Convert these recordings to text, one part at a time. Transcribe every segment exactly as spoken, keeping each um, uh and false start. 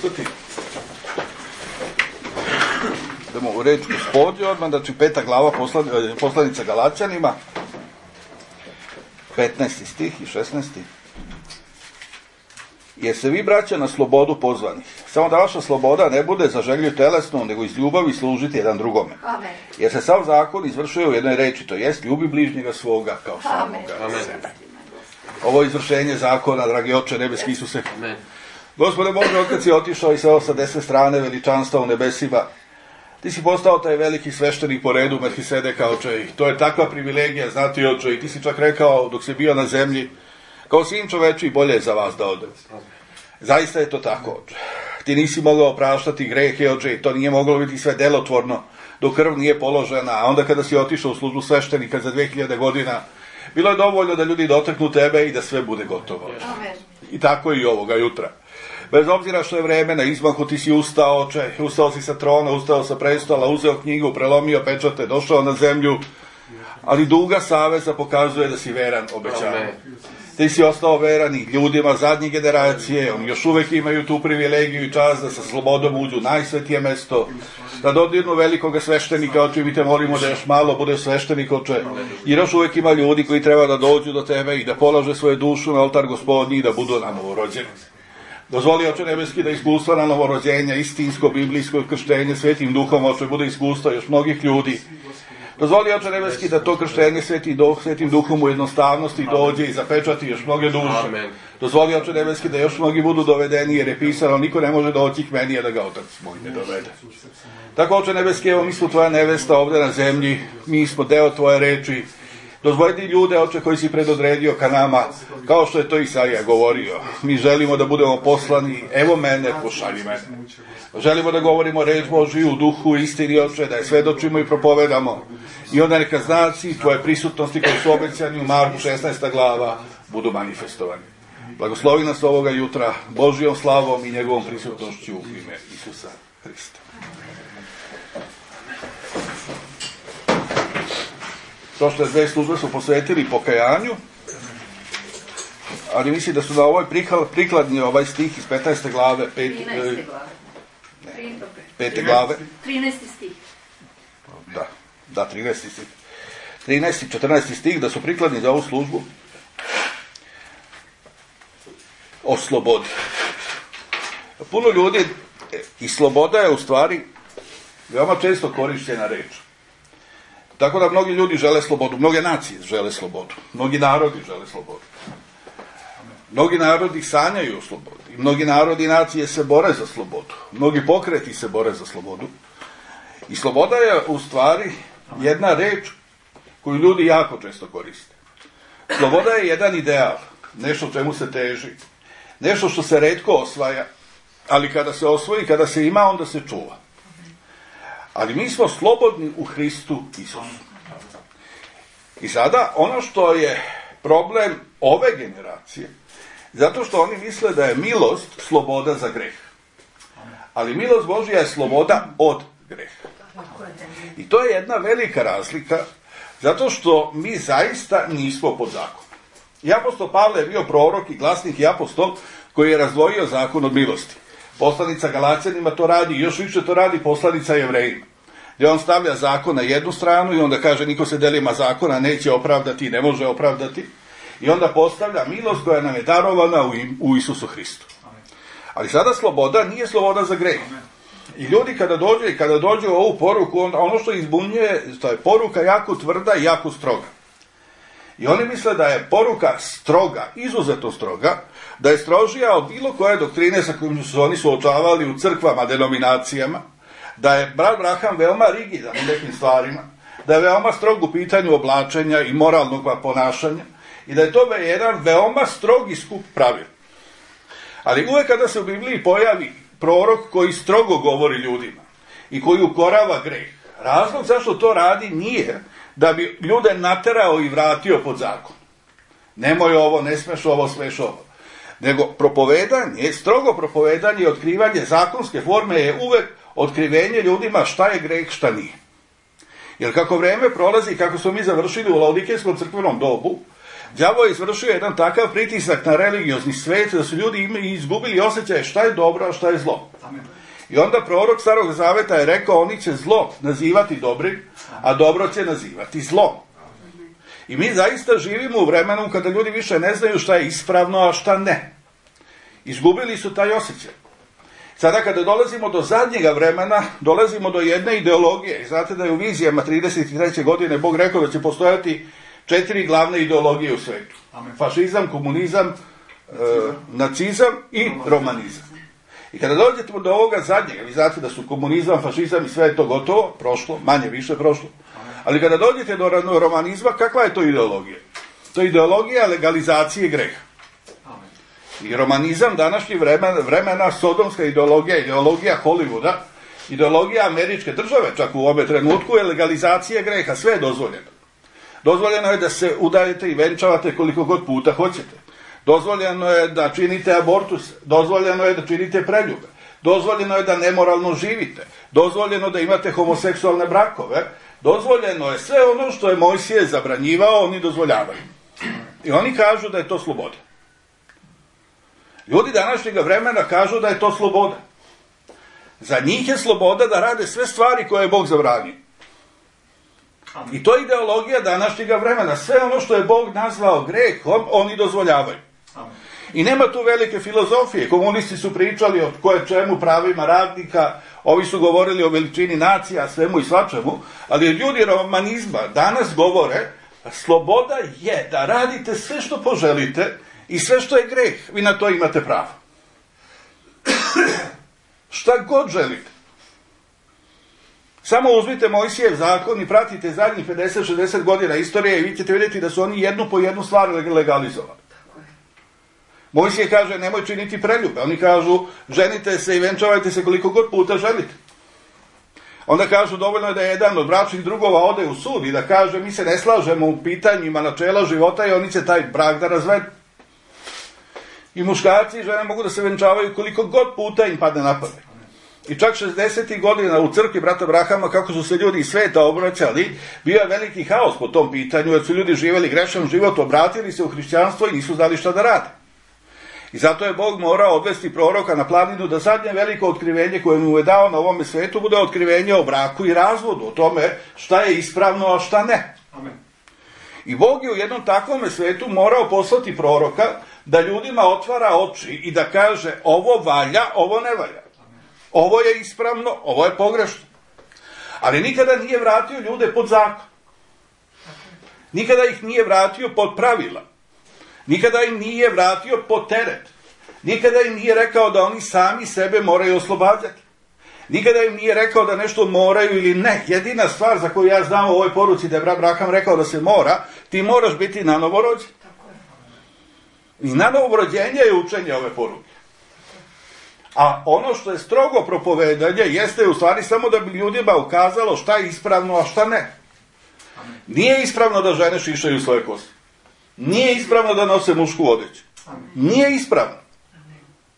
ustati. Idemo u reč Gospodnju odmah, znači peta glava poslanica Galaćanima, petnaesti stih i šesnaesti. Jer se vi, braća, na slobodu pozvani. Samo da vaša sloboda ne bude za želju telesnu, nego iz ljubavi služiti jedan drugome. Amen. Jer se sav zakon izvršuje u jednoj reči, to jest ljubi bližnjega svoga kao samoga sebe. Ovo je izvršenje zakona, dragi Oče nebeski Isuse. Amen. Gospode Bože, otkad si otišao i seo sa desne strane veličanstva u nebesima, ti si postao taj veliki sveštenik po redu Melhisedeka, Oče, i to je takva privilegija, znati, Oče, i ti si čak rekao dok si bio na zemlji, kao sin čoveči, bolje je za vas da ode. Zaista je to tako, Oče. Ti nisi mogao praštati grehe, Oče, i to nije moglo biti sve delotvorno dok krv nije položena, a onda kada si otišao u službu sveštenika za dve hiljade godina, bilo je dovoljno da ljudi dotaknu tebe i da sve bude gotovo. Amen. I tako i ovoga jutra. Bez obzira što je vreme na izmahu, ti si ustao, Oče, ustao si sa trona, ustao sa prestola, uzeo knjigu, prelomio pečate, došao na zemlju, ali duga saveza pokazuje da si veran obećanju. Ti si ostao veran i ljudima zadnje generacije, oni još uvek imaju tu privilegiju i čast da sa slobodom uđu u najsvetije mesto, da dodirnu velikoga sveštenika, Oče, mi te molimo da još malo bude sveštenik, Oče, jer još uvek ima ljudi koji treba da dođu do tebe i da polože svoje dušu na oltar Gospodnji i da budu na novorođeni. Dozvoli, Oče nebeski, da iskustva na novorođenja, istinsko, biblijsko krštenje svetim duhom, Oče, bude iskustva još mnogih ljudi. Dozvoli, Oče nebeski, da to krštenje svetim, duh, svetim duhom u jednostavnosti dođe i zapečati još mnoge duše. Amen. Dozvoli, Oče nebeski, da još mnogi budu dovedeni, jer je pisano, niko ne može doći k meni, a da ga Otac moj ne dovede. Tako, Oče nebeski, evo mi smo tvoja nevesta ovde na zemlji, mi smo deo tvoje reči. Dozvoli ljude, Oče, koji si predodredio ka nama, kao što je to Isaija govorio. Mi želimo da budemo poslani, evo mene, pošalji mene. Želimo da govorimo reč Božiju u duhu istini, Oče, da je svedočimo i propovedamo. I onda neka znaci tvoje prisutnosti koji su obećani u Marku šesnaesta glava budu manifestovani. Blagoslovi nas ovoga jutra Božijom slavom i njegovom prisutnošću u ime Isusa Hrista. Prošle dve službe su posvetili pokajanju, ali mislim da su na ovoj prikladni ovaj stih iz petnaeste glave, pet, trinaeste glave. Ne, pete glave. trinaesti stih. Da, da, trinaesti stih. trinaesti i četrnaesti stih, da su prikladni za ovu službu o slobodi. Puno ljudi, i sloboda je u stvari veoma često korišćena reč. Tako da mnogi ljudi žele slobodu, mnoge nacije žele slobodu, mnogi narodi žele slobodu. Mnogi narodi sanjaju o slobodi, mnogi narodi i nacije se bore za slobodu, mnogi pokreti se bore za slobodu. I sloboda je u stvari jedna reč koju ljudi jako često koriste. Sloboda je jedan ideal, nešto čemu se teži, nešto što se retko osvaja, ali kada se osvoji, kada se ima, onda se čuva. Ali mi smo slobodni u Hristu Isusu. I sada, ono što je problem ove generacije, zato što oni misle da je milost sloboda za greh. Ali milost Božja je sloboda od greha. I to je jedna velika razlika, zato što mi zaista nismo pod zakonom. I apostol Pavle je bio prorok i glasnik i apostol koji je razdvojio zakon od milosti. Poslanica Galaćanima to radi i još više to radi poslanica Jevrejima. Gdje on stavlja zakon na jednu stranu i onda kaže niko se delima zakona neće opravdati i ne može opravdati. I onda postavlja milost koja nam je darovana u, im, u Isusu Hristu. Ali sada sloboda nije sloboda za greh. I ljudi kada dođu i kada dođu u ovu poruku, onda ono što izbunjuje, to je poruka jako tvrda i jako stroga. I oni misle da je poruka stroga, izuzetno stroga, da je strožija od bilo koje doktrine sa kojim su oni suočavali u crkvama, denominacijama, da je brat Braham veoma rigidan u nekim stvarima, da je veoma strog u pitanju oblačenja i moralnog ponašanja i da je to jedan veoma strogi skup pravila. Ali uvek kada se u Bibliji pojavi prorok koji strogo govori ljudima i koji ukorava greh, razlog zašto to radi nije da bi ljude naterao i vratio pod zakon. Nemoj ovo, ne smeš ovo, smeš ovo. Nego propovedanje, strogo propovedanje i otkrivanje zakonske forme je uvek otkrivenje ljudima šta je greh, šta nije. Jer kako vreme prolazi, kako smo mi završili u Laodikejskom crkvenom dobu, Đavo je izvršio jedan takav pritisak na religiozni svet da su ljudi izgubili osjećaj šta je dobro, a šta je zlo. I onda prorok Starog Zaveta je rekao, oni će zlo nazivati dobrim, a dobro će nazivati zlom. I mi zaista živimo u vremenu kada ljudi više ne znaju šta je ispravno, a šta ne. Izgubili su taj osjećaj. Sada kada dolazimo do zadnjega vremena, dolazimo do jedne ideologije. I znate da je u vizijama trideset treće godine Bog rekao da će postojati četiri glavne ideologije u svetu. Amen. Fašizam, komunizam, nacizam, e, nacizam i romanizam. I kada dođete do ovoga zadnjega, vi znate da su komunizam, fašizam i sve je to gotovo, prošlo, manje više prošlo. Ali kada dođete do romanizma, kakva je to ideologija? To je ideologija legalizacije greha. I romanizam današnjih vremena, vremena, sodomska ideologija, ideologija Hollywooda, ideologija američke države, čak u ovom trenutku, je legalizacija greha, sve je dozvoljeno. Dozvoljeno je da se udajete i venčavate koliko god puta hoćete. Dozvoljeno je da činite abortus, dozvoljeno je da činite preljube, dozvoljeno je da nemoralno živite, dozvoljeno da imate homoseksualne brakove, dozvoljeno je sve ono što je Mojsije zabranjivao, oni dozvoljavaju. I oni kažu da je to sloboda. Ljudi današnjeg vremena kažu da je to sloboda. Za njih je sloboda da rade sve stvari koje je Bog zabranio. I to je ideologija današnjeg vremena. Sve ono što je Bog nazvao grehom, oni dozvoljavaju. I nema tu velike filozofije. Komunisti su pričali o koje čemu pravima radnika, ovi su govorili o veličini nacija, svemu i svačemu, ali ljudi romanizma danas govore, sloboda je da radite sve što poželite i sve što je greh, vi na to imate pravo. Šta god želite. Samo uzmite Mojsijev zakon i pratite zadnjih pedeset šezdeset godina istorije i vi ćete vidjeti da su oni jednu po jednu stvar legalizovali. Mojsije kaže nemoj činiti preljube. Oni kažu ženite se i venčavajte se koliko god puta želite. Onda kažu dovoljno je da jedan od bračnih drugova ode u sud i da kaže mi se ne slažemo u pitanjima načela života i oni će taj brak da razvedu. I muškarci i žene mogu da se venčavaju koliko god puta im padne na pamet. I čak šezdesetih godina u crkvi brata Brahama, kako su se ljudi iz sveta obraćali, bio je veliki haos po tom pitanju, jer su ljudi živjeli grešan život, obratili se u hrišćanstvo i nisu znali šta da rade. I zato je Bog morao odvesti proroka na planinu da zadnje veliko otkrivenje koje mu je dao na ovome svetu bude otkrivenje o braku i razvodu, o tome šta je ispravno, a šta ne. Amen. I Bog je u jednom takvom svetu morao poslati proroka da ljudima otvara oči i da kaže ovo valja, ovo ne valja. Ovo je ispravno, ovo je pogrešno. Ali nikada nije vratio ljude pod zakon. Nikada ih nije vratio pod pravila. Nikada im nije vratio pod teret. Nikada im nije rekao da oni sami sebe moraju oslobađati. Nikada im nije rekao da nešto moraju ili ne. Jedina stvar za koju ja znam u ovoj poruci da je brat Braham rekao da se mora, ti moraš biti na novorođen. I na novorođenje je učenje ove poruke. A ono što je strogo propovedanje jeste u stvari samo da bi ljudima ukazalo šta je ispravno, a šta ne. Nije ispravno da žene šišaju svoje kose. Nije ispravno da nose mušku odeću. Nije ispravno.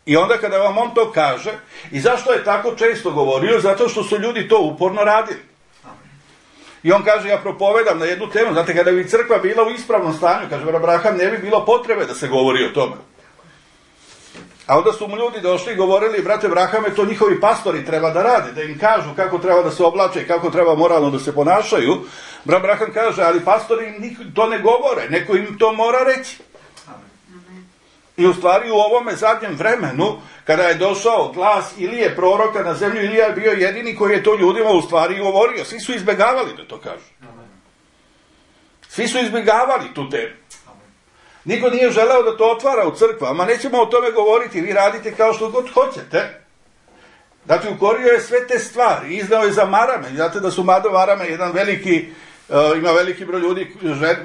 I onda kada vam on to kaže, i zašto je tako često govorio? Zato što su ljudi to uporno radili. I on kaže, ja propovedam na jednu temu, znate, kada bi crkva bila u ispravnom stanju, kaže Abraham, ne bi bilo potrebe da se govori o tome. A onda su mu ljudi došli i govorili, brate Brahame, to njihovi pastori treba da rade, da im kažu kako treba da se oblače i kako treba moralno da se ponašaju. Brat Braham kaže, ali pastori im to ne govore, neko im to mora reći. I u stvari u ovome zadnjem vremenu, kada je došao glas Ilije proroka na zemlju, Ilija je bio jedini koji je to ljudima u stvari govorio. Svi su izbjegavali da to kažu. Svi su izbjegavali tu temu. Niko nije želeo da to otvara u crkvama, nećemo o tome govoriti, vi radite kao što god hoćete. Znači, ukorio je sve te stvari, iznao je za marame, znate da su mado marame jedan veliki, uh, ima veliki broj ljudi,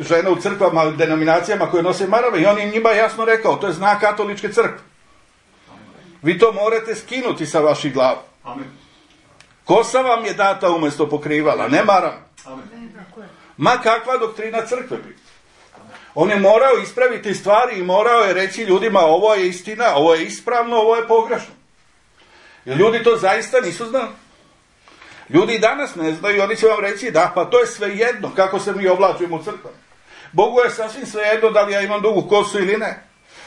žena u crkvama, denominacijama koje nose marame i on je njima jasno rekao, to je znak katoličke crkve. Vi to morate skinuti sa vaših glava. Kosa vam je data umjesto pokrivala, ne marame. Ma kakva doktrina crkve bi. On je morao ispraviti stvari i morao je reći ljudima ovo je istina, ovo je ispravno, ovo je pogrešno. Jer ljudi to zaista nisu znali. Ljudi i danas ne znaju i oni će vam reći da, pa to je sve jedno kako se mi oblačimo u crkvama. Bogu je sasvim svejedno da li ja imam dugu kosu ili ne.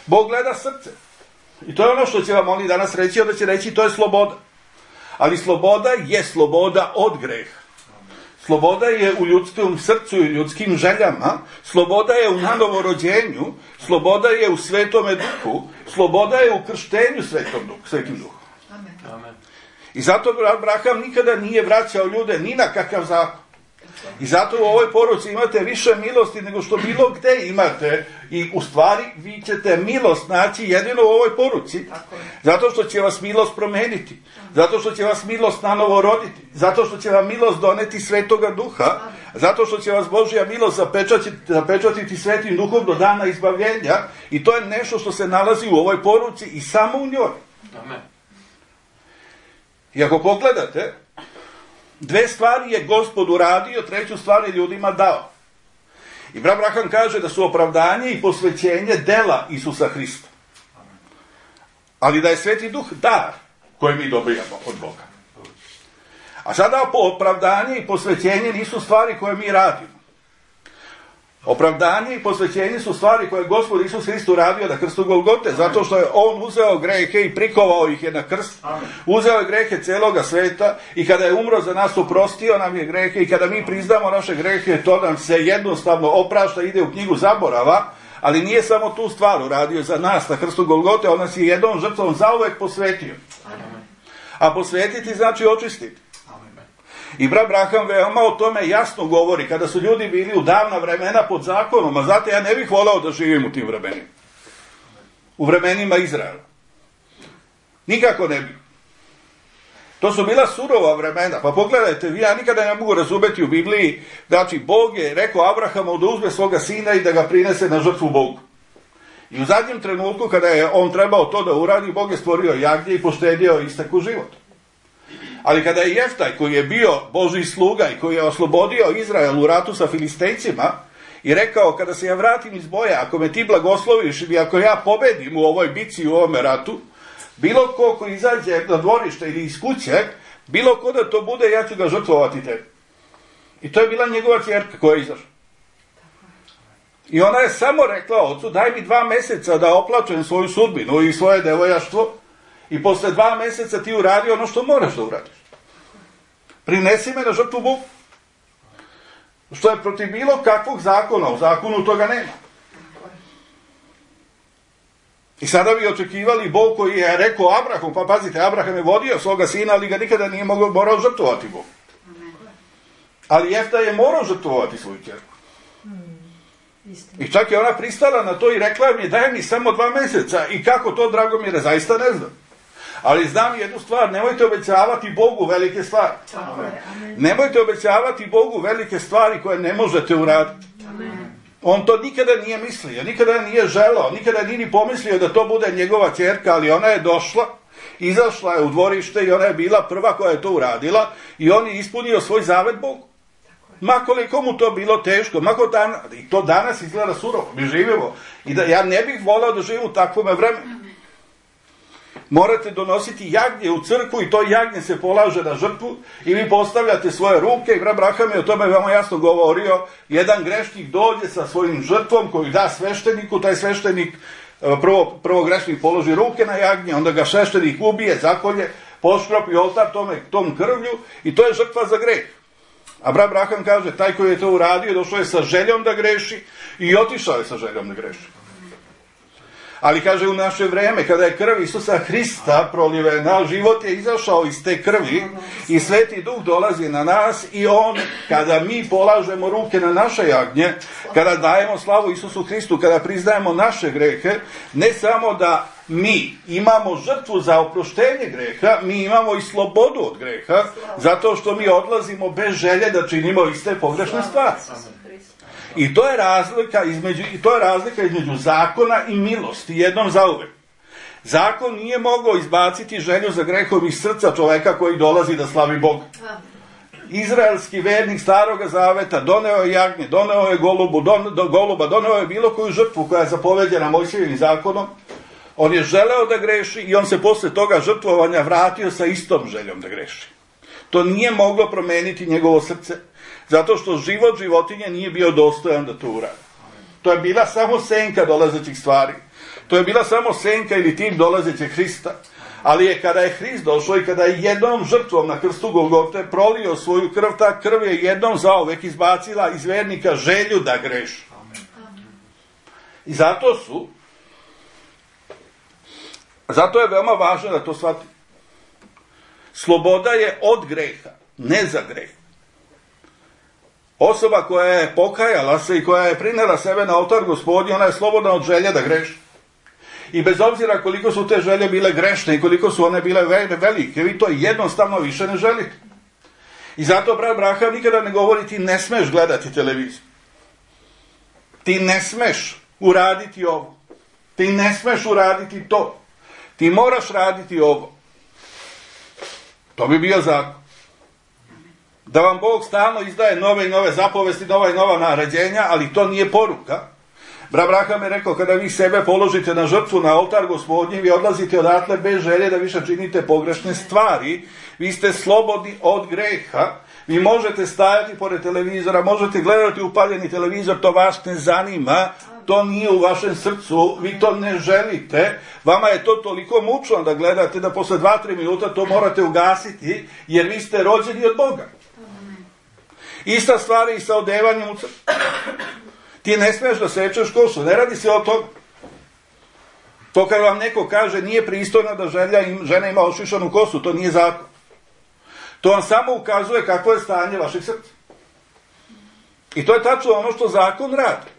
Bog gleda srce. I to je ono što će vam oni danas reći, onda će reći to je sloboda. Ali sloboda je sloboda od greha. Sloboda je u ljudskom srcu i ljudskim željama, sloboda je u nanovorođenju, sloboda je u Svetome Duhu, sloboda je u krštenju Svetom Duhu, Svetim Duhom. Amen. I zato Abraham nikada nije vraćao ljude ni na kakav zakon. I zato u ovoj poruci imate više milosti nego što bilo gde imate. I u stvari vi ćete milost naći jedino u ovoj poruci. Zato što će vas milost promeniti. Zato što će vas milost nanovo roditi. Zato što će vam milost doneti Svetoga Duha. Zato što će vas Božja milost zapečatiti, zapečatiti Svetim Duhom do dana izbavljenja. I to je nešto što se nalazi u ovoj poruci i samo u njoj. Amen. I ako pogledate, dve stvari je Gospod uradio, treću stvar je ljudima dao. I brat Abraham kaže da su opravdanje i posvećenje dela Isusa Hrista. Ali da je Sveti Duh dar koji mi dobijamo od Boga. A sada opravdanje i posvećenje nisu stvari koje mi radimo. Opravdanje i posvećenje su stvari koje je Gospod Isus Hrist uradio na krstu Golgote, zato što je on uzeo grehe i prikovao ih je na krst. Uzeo je grehe celoga sveta i kada je umro za nas, oprostio nam je grehe, i kada mi priznamo naše grehe, to nam se jednostavno oprašta, ide u knjigu zaborava. Ali nije samo tu stvar uradio za nas na krstu Golgote, on nas je jednom žrtvom zauvek posvetio. A posvetiti znači očistiti. I brat Abraham veoma o tome jasno govori, kada su ljudi bili u davna vremena pod zakonom, a znate, ja ne bih volao da živim u tim vremenima. U vremenima Izraela. Nikako ne bih. To su bila surova vremena. Pa pogledajte, vi, ja nikada ne mogu razumeti u Bibliji, znači Bog je rekao Abrahamu da uzme svoga sina i da ga prinese na žrtvu Bogu. I u zadnjem trenutku, kada je on trebao to da uradi, Bog je stvorio jagnje i poštedio istek u život. Ali kada je Jeftaj, koji je bio Božji sluga i koji je oslobodio Izrael u ratu sa Filistejcima, i rekao, kada se ja vratim iz boja, ako me ti blagosloviš i ako ja pobedim u ovoj bici, u ovome ratu, bilo ko ko izađe na dvorište ili iz kuće, bilo ko da to bude, ja ću ga žrtvovati tebi. I to je bila njegova ćerka koja je izašla. I ona je samo rekla ocu, daj mi dva meseca da oplačem svoju sudbinu i svoje devojaštvo, i posle dva meseca ti uradi ono što moraš da uradiš. Prinesi me na žrtvu Bogu. Što je protiv bilo kakvog zakona, u zakonu toga nema. I sada bi očekivali Bog koji je rekao Abraham, pa pazite, Abraham je vodio svoga sina, ali ga nikada nije mogao, morao žrtvovati Bog. Ali Jefta je morao žrtvovati svoju ćerku. I čak je ona pristala na to i rekla mi, daj mi samo dva meseca. I kako to, Dragomire, zaista ne znam. Ali znam jednu stvar, nemojte obećavati Bogu velike stvari. Nemojte obećavati Bogu velike stvari koje ne možete uraditi. On to nikada nije mislio, nikada nije želao, nikada nije ni pomislio da to bude njegova ćerka, ali ona je došla, izašla je u dvorište i ona je bila prva koja je to uradila i on je ispunio svoj zavet Bogu. Ma koliko mu to bilo teško, ma dan, i to danas izgleda surovo, mi živimo. I da ja ne bih volao da živim u takvom vremenu. Morate donositi jagnje u crkvu i to jagnje se polaže na žrtvu i vi postavljate svoje ruke i brat Abraham je o tome veoma jasno govorio. Jedan grešnik dođe sa svojim žrtvom koju da svešteniku, taj sveštenik prvo, prvo grešnik položi ruke na jagnje, onda ga sveštenik ubije, zakolje, poškropi oltar tome, tom krvlju i to je žrtva za greh. A brat Abraham kaže, taj koji je to uradio došao je sa željom da greši i otišao je sa željom da greši. Ali kaže u naše vreme, kada je krv Isusa Hrista prolivena, život je izašao iz te krvi i Sveti Duh dolazi na nas i on, kada mi polažemo ruke na naše jagnje, kada dajemo slavu Isusu Hristu, kada priznajemo naše grehe, ne samo da mi imamo žrtvu za oproštenje greha, mi imamo i slobodu od greha, zato što mi odlazimo bez želje da činimo iste pogrešne stvari. I to je razlika između, i to je razlika između zakona i milosti, jednom zauvek. Zakon nije mogao izbaciti želju za grehom iz srca čoveka koji dolazi da slavi Boga. Izraelski vernik staroga zaveta doneo je jagnje, doneo je golubu, don, do, goluba, doneo je bilo koju žrtvu koja je zapoveđena Mojsijevim zakonom. On je želeo da greši i on se posle toga žrtvovanja vratio sa istom željom da greši. To nije moglo promeniti njegovo srce, zato što život životinje nije bio dostojan da to uradi. To je bila samo senka dolazećih stvari. To je bila samo senka ili tim dolazećeg Hrista. Ali je kada je Hrist došao i kada je jednom žrtvom na krstu Golgote prolio svoju krv, ta krv je jednom zauvek izbacila iz vernika želju da greši. I zato su, zato je veoma važno da to shvati. Sloboda je od greha, ne za greh. Osoba koja je pokajala se i koja je prinela sebe na oltar Gospodnji, ona je slobodna od želje da greši. I bez obzira koliko su te želje bile grešne i koliko su one bile velike, vi to jednostavno više ne želite. I zato brat Abraham nikada ne govori ti ne smeš gledati televiziju. Ti ne smeš uraditi ovo. Ti ne smeš uraditi to. Ti moraš raditi ovo. To bi bio zakon. Da vam Bog stalno izdaje nove i nove zapovesti, nova i nova naređenja, ali to nije poruka. Brat Abraham je rekao, kada vi sebe položite na žrtvu, na oltar Gospodnji, vi odlazite odatle bez želje da više činite pogrešne stvari. Vi ste slobodni od greha. Vi možete stajati pored televizora, možete gledati upaljeni televizor, to vas ne zanima. To nije u vašem srcu, vi to ne želite. Vama je to toliko mučno da gledate da posle dva tri minuta to morate ugasiti, jer vi ste rođeni od Boga. Ista stvar je i sa odevanjem u crkvu. Ti ne smiješ da sečeš kosu, ne radi se o toga. To kad vam neko kaže nije pristojno da želja im, žena ima ošišanu kosu, to nije zakon. To vam samo ukazuje kakvo je stanje vašeg srca. I to je tačno ono što zakon radi.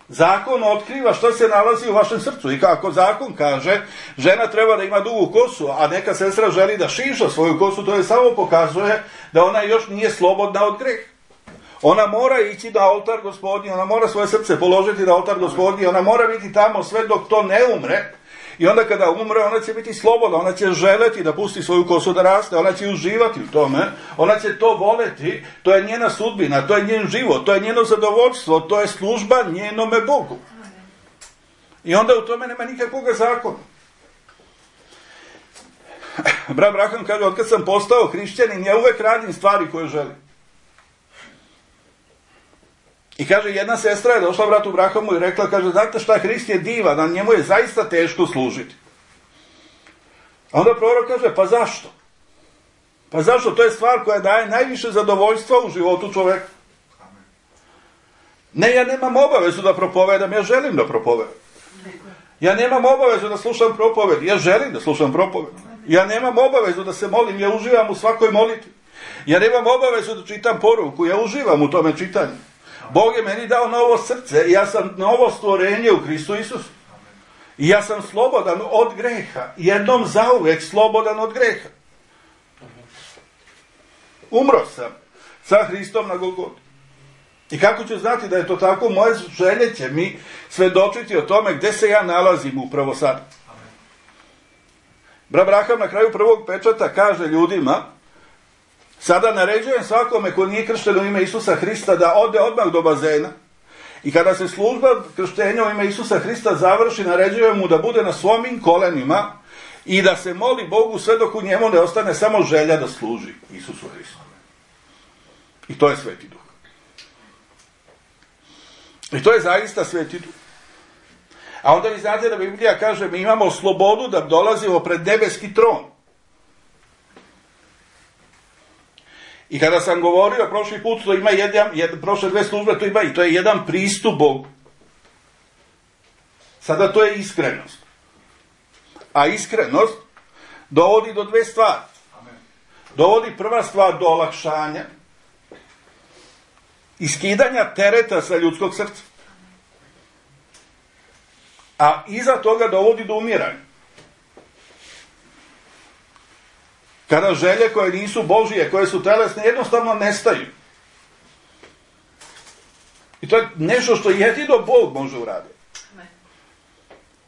Zakon otkriva što se nalazi u vašem srcu. I kako zakon kaže, žena treba da ima dugu kosu, a neka sestra želi da šiša svoju kosu, to je samo pokazuje da ona još nije slobodna od greha. Ona mora ići na oltar Gospodnji, ona mora svoje srce položiti na oltar Gospodnji, ona mora biti tamo sve dok to ne umre. I onda kada umre, ona će biti slobodna, ona će želeti da pusti svoju kosu da raste, ona će uživati u tome, ona će to voleti, to je njena sudbina, to je njen život, to je njeno zadovoljstvo, to je služba njenome Bogu. I onda u tome nema nikakvog zakona. Brat Abraham kaže, od kad sam postao hrišćanin, ja uvek radim stvari koje želim. I kaže, jedna sestra je došla bratu Abrahamu i rekla, kaže, znate šta, Hrist je divan, na njemu je zaista teško služiti. A onda prorok kaže, pa zašto? Pa zašto? To je stvar koja daje najviše zadovoljstva u životu čoveka. Ne, ja nemam obavezu da propovedam, ja želim da propovedam. Ja nemam obavezu da slušam propoved, ja želim da slušam propoved. Ja nemam obavezu da se molim, ja uživam u svakoj molitvi. Ja nemam obavezu da čitam poruku, ja uživam u tome čitanju. Bog je meni dao novo srce i ja sam novo stvorenje u Hristu Isusu. I ja sam slobodan od greha. Jednom zauvek slobodan od greha. Umro sam sa Hristom na Golgoti. I kako ću znati da je to tako? Moje želje će mi svedočiti o tome gde se ja nalazim upravo sad. Brat Abraham na kraju prvog pečata kaže ljudima, sada naređujem svakome ko nije kršten u ime Isusa Hrista da ode odmah do bazena i kada se služba krštenja u ime Isusa Hrista završi, naređujem mu da bude na svojim kolenima i da se moli Bogu sve dok u njemu ne ostane samo želja da služi Isusu Hristu. I to je Sveti Duh. I to je zaista Sveti Duh. A onda vi znate da Biblija kaže mi imamo slobodu da dolazimo pred nebeski tron. I kada sam govorio prošli put, to ima jedan, jedan, prošle dve službe, to ima i to je jedan pristup Bogu. Sada to je iskrenost. A iskrenost dovodi do dve stvari. Dovodi prva stvar do olakšanja i skidanja tereta sa ljudskog srca. A iza toga dovodi do umiranja. Kada želje koje nisu Božije, koje su telesne, jednostavno nestaju. I to je nešto što jedino Bog može uraditi.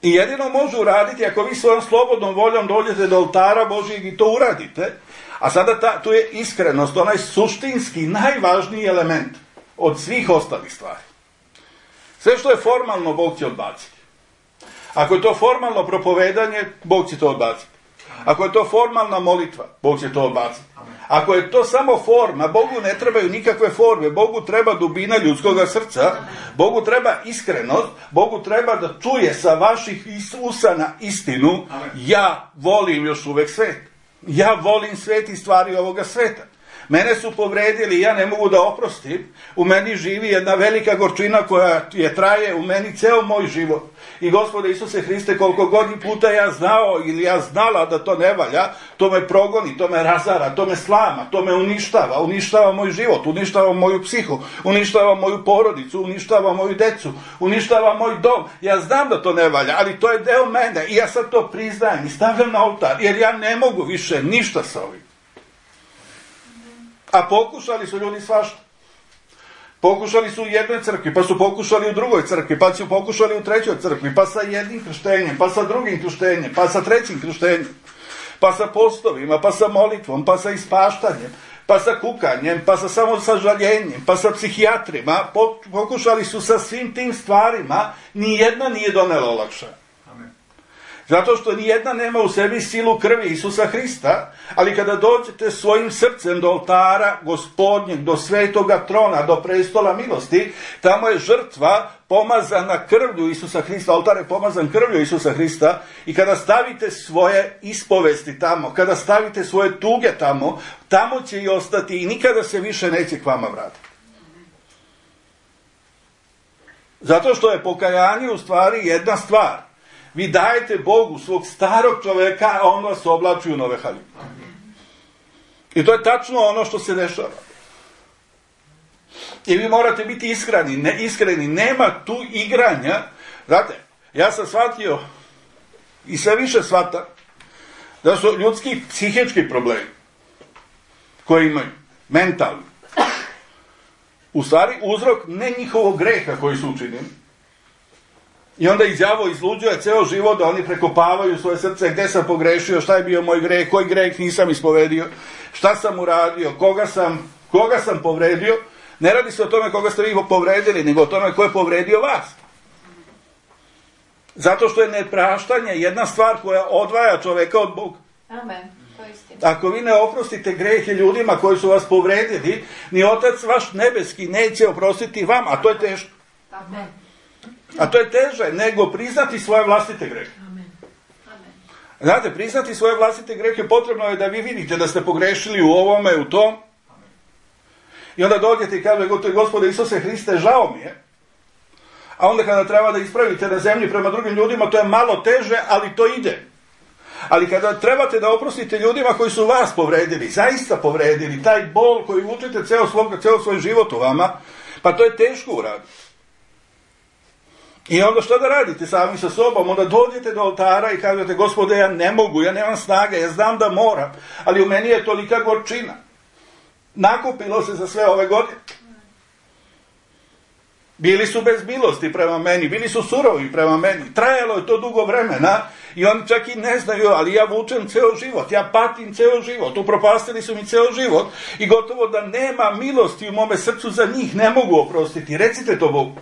I jedino može uraditi ako vi svojom slobodnom voljom dođete do oltara Božijeg i to uradite. A sada ta, tu je iskrenost, onaj suštinski, najvažniji element od svih ostalih stvari. Sve što je formalno, Bog će odbaciti. Ako je to formalno propovedanje, Bog će to odbaciti. Ako je to formalna molitva, Bog će to odbaciti. Ako je to samo forma, Bogu ne trebaju nikakve forme, Bogu treba dubina ljudskog srca, Bogu treba iskrenost, Bogu treba da čuje sa vaših usana istinu. Ja volim još uvek svet. Ja volim svet i stvari ovoga sveta. Mene su povredili, ja ne mogu da oprostim. U meni živi jedna velika gorčina koja je traje u meni ceo moj život. I Gospode Isuse Hriste, koliko god puta ja znao ili ja znala da to ne valja, to me progoni, to me razara, to me slama, to me uništava, uništava moj život, uništava moju psihu, uništava moju porodicu, uništava moju decu, uništava moj dom. Ja znam da to ne valja, ali to je deo mene i ja sad to priznajem i stavljam na oltar, jer ja ne mogu više ništa sa ovim. A pokušali su ljudi svašta. Pokušali su u jednoj crkvi, pa su pokušali u drugoj crkvi, pa su pokušali u trećoj crkvi, pa sa jednim krštenjem, pa sa drugim krštenjem, pa sa trećim krštenjem, pa sa postovima, pa sa molitvom, pa sa ispaštanjem, pa sa kukanjem, pa sa samosažaljenjem, pa sa psihijatrima. Pokušali su sa svim tim stvarima, nijedna nije donela olakšanje. Zato što nijedna nema u sebi silu krvi Isusa Hrista, ali kada dođete svojim srcem do oltara Gospodnjeg, do svetoga trona, do prestola milosti, tamo je žrtva pomazana krvlju Isusa Hrista, oltar je pomazan krvlju Isusa Hrista, i kada stavite svoje ispovesti tamo, kada stavite svoje tuge tamo, tamo će i ostati i nikada se više neće k vama vratiti. Zato što je pokajanje u stvari jedna stvar. Vi dajete Bogu svog starog čoveka, a on vas oblači u nove haljine. I to je tačno ono što se dešava. I vi morate biti iskreni, ne, iskreni. Nema tu igranja. Znate, ja sam shvatio i sve više shvatam da su ljudski psihički problemi koji imaju, mentalni, u stvari uzrok ne njihovog greha koji su učinili. I onda i đavo izluđuje ceo život da oni prekopavaju svoje srce, gde sam pogrešio, šta je bio moj greh, koji greh nisam ispovedio, šta sam uradio, koga sam, koga sam povredio. Ne radi se o tome koga ste vi povredili, nego o tome ko je povredio vas. Zato što je nepraštanje jedna stvar koja odvaja čoveka od Boga. Amen. To je istina. Ako vi ne oprostite grehe ljudima koji su vas povredili, ni Otac vaš nebeski neće oprostiti vam, a to je teško. Amen. A to je teže nego priznati svoje vlastite grehe. Amen. Amen. Znate, priznati svoje vlastite grehe potrebno je da vi vidite da ste pogrešili u ovome, u tom. I onda dođete i kažete, Gospode Isuse Hriste, žao mi je. A onda kada treba da ispravite na zemlji prema drugim ljudima, to je malo teže, ali to ide. Ali kada trebate da oprostite ljudima koji su vas povredili, zaista povredili, taj bol koji vučete ceo, svog, ceo svoj život u vama, pa to je teško uraditi. I onda što da radite sami sa sobom? Onda dođete do oltara i kažete, Gospode, ja ne mogu, ja nemam snage, ja znam da moram, ali u meni je tolika gorčina. Nakupilo se za sve ove godine. Bili su bez milosti prema meni, bili su surovi prema meni, trajalo je to dugo vremena i oni čak i ne znaju, ali ja vučem ceo život, ja patim ceo život, upropastili su mi ceo život i gotovo da nema milosti u mome srcu za njih, ne mogu oprostiti. Recite to Bogu.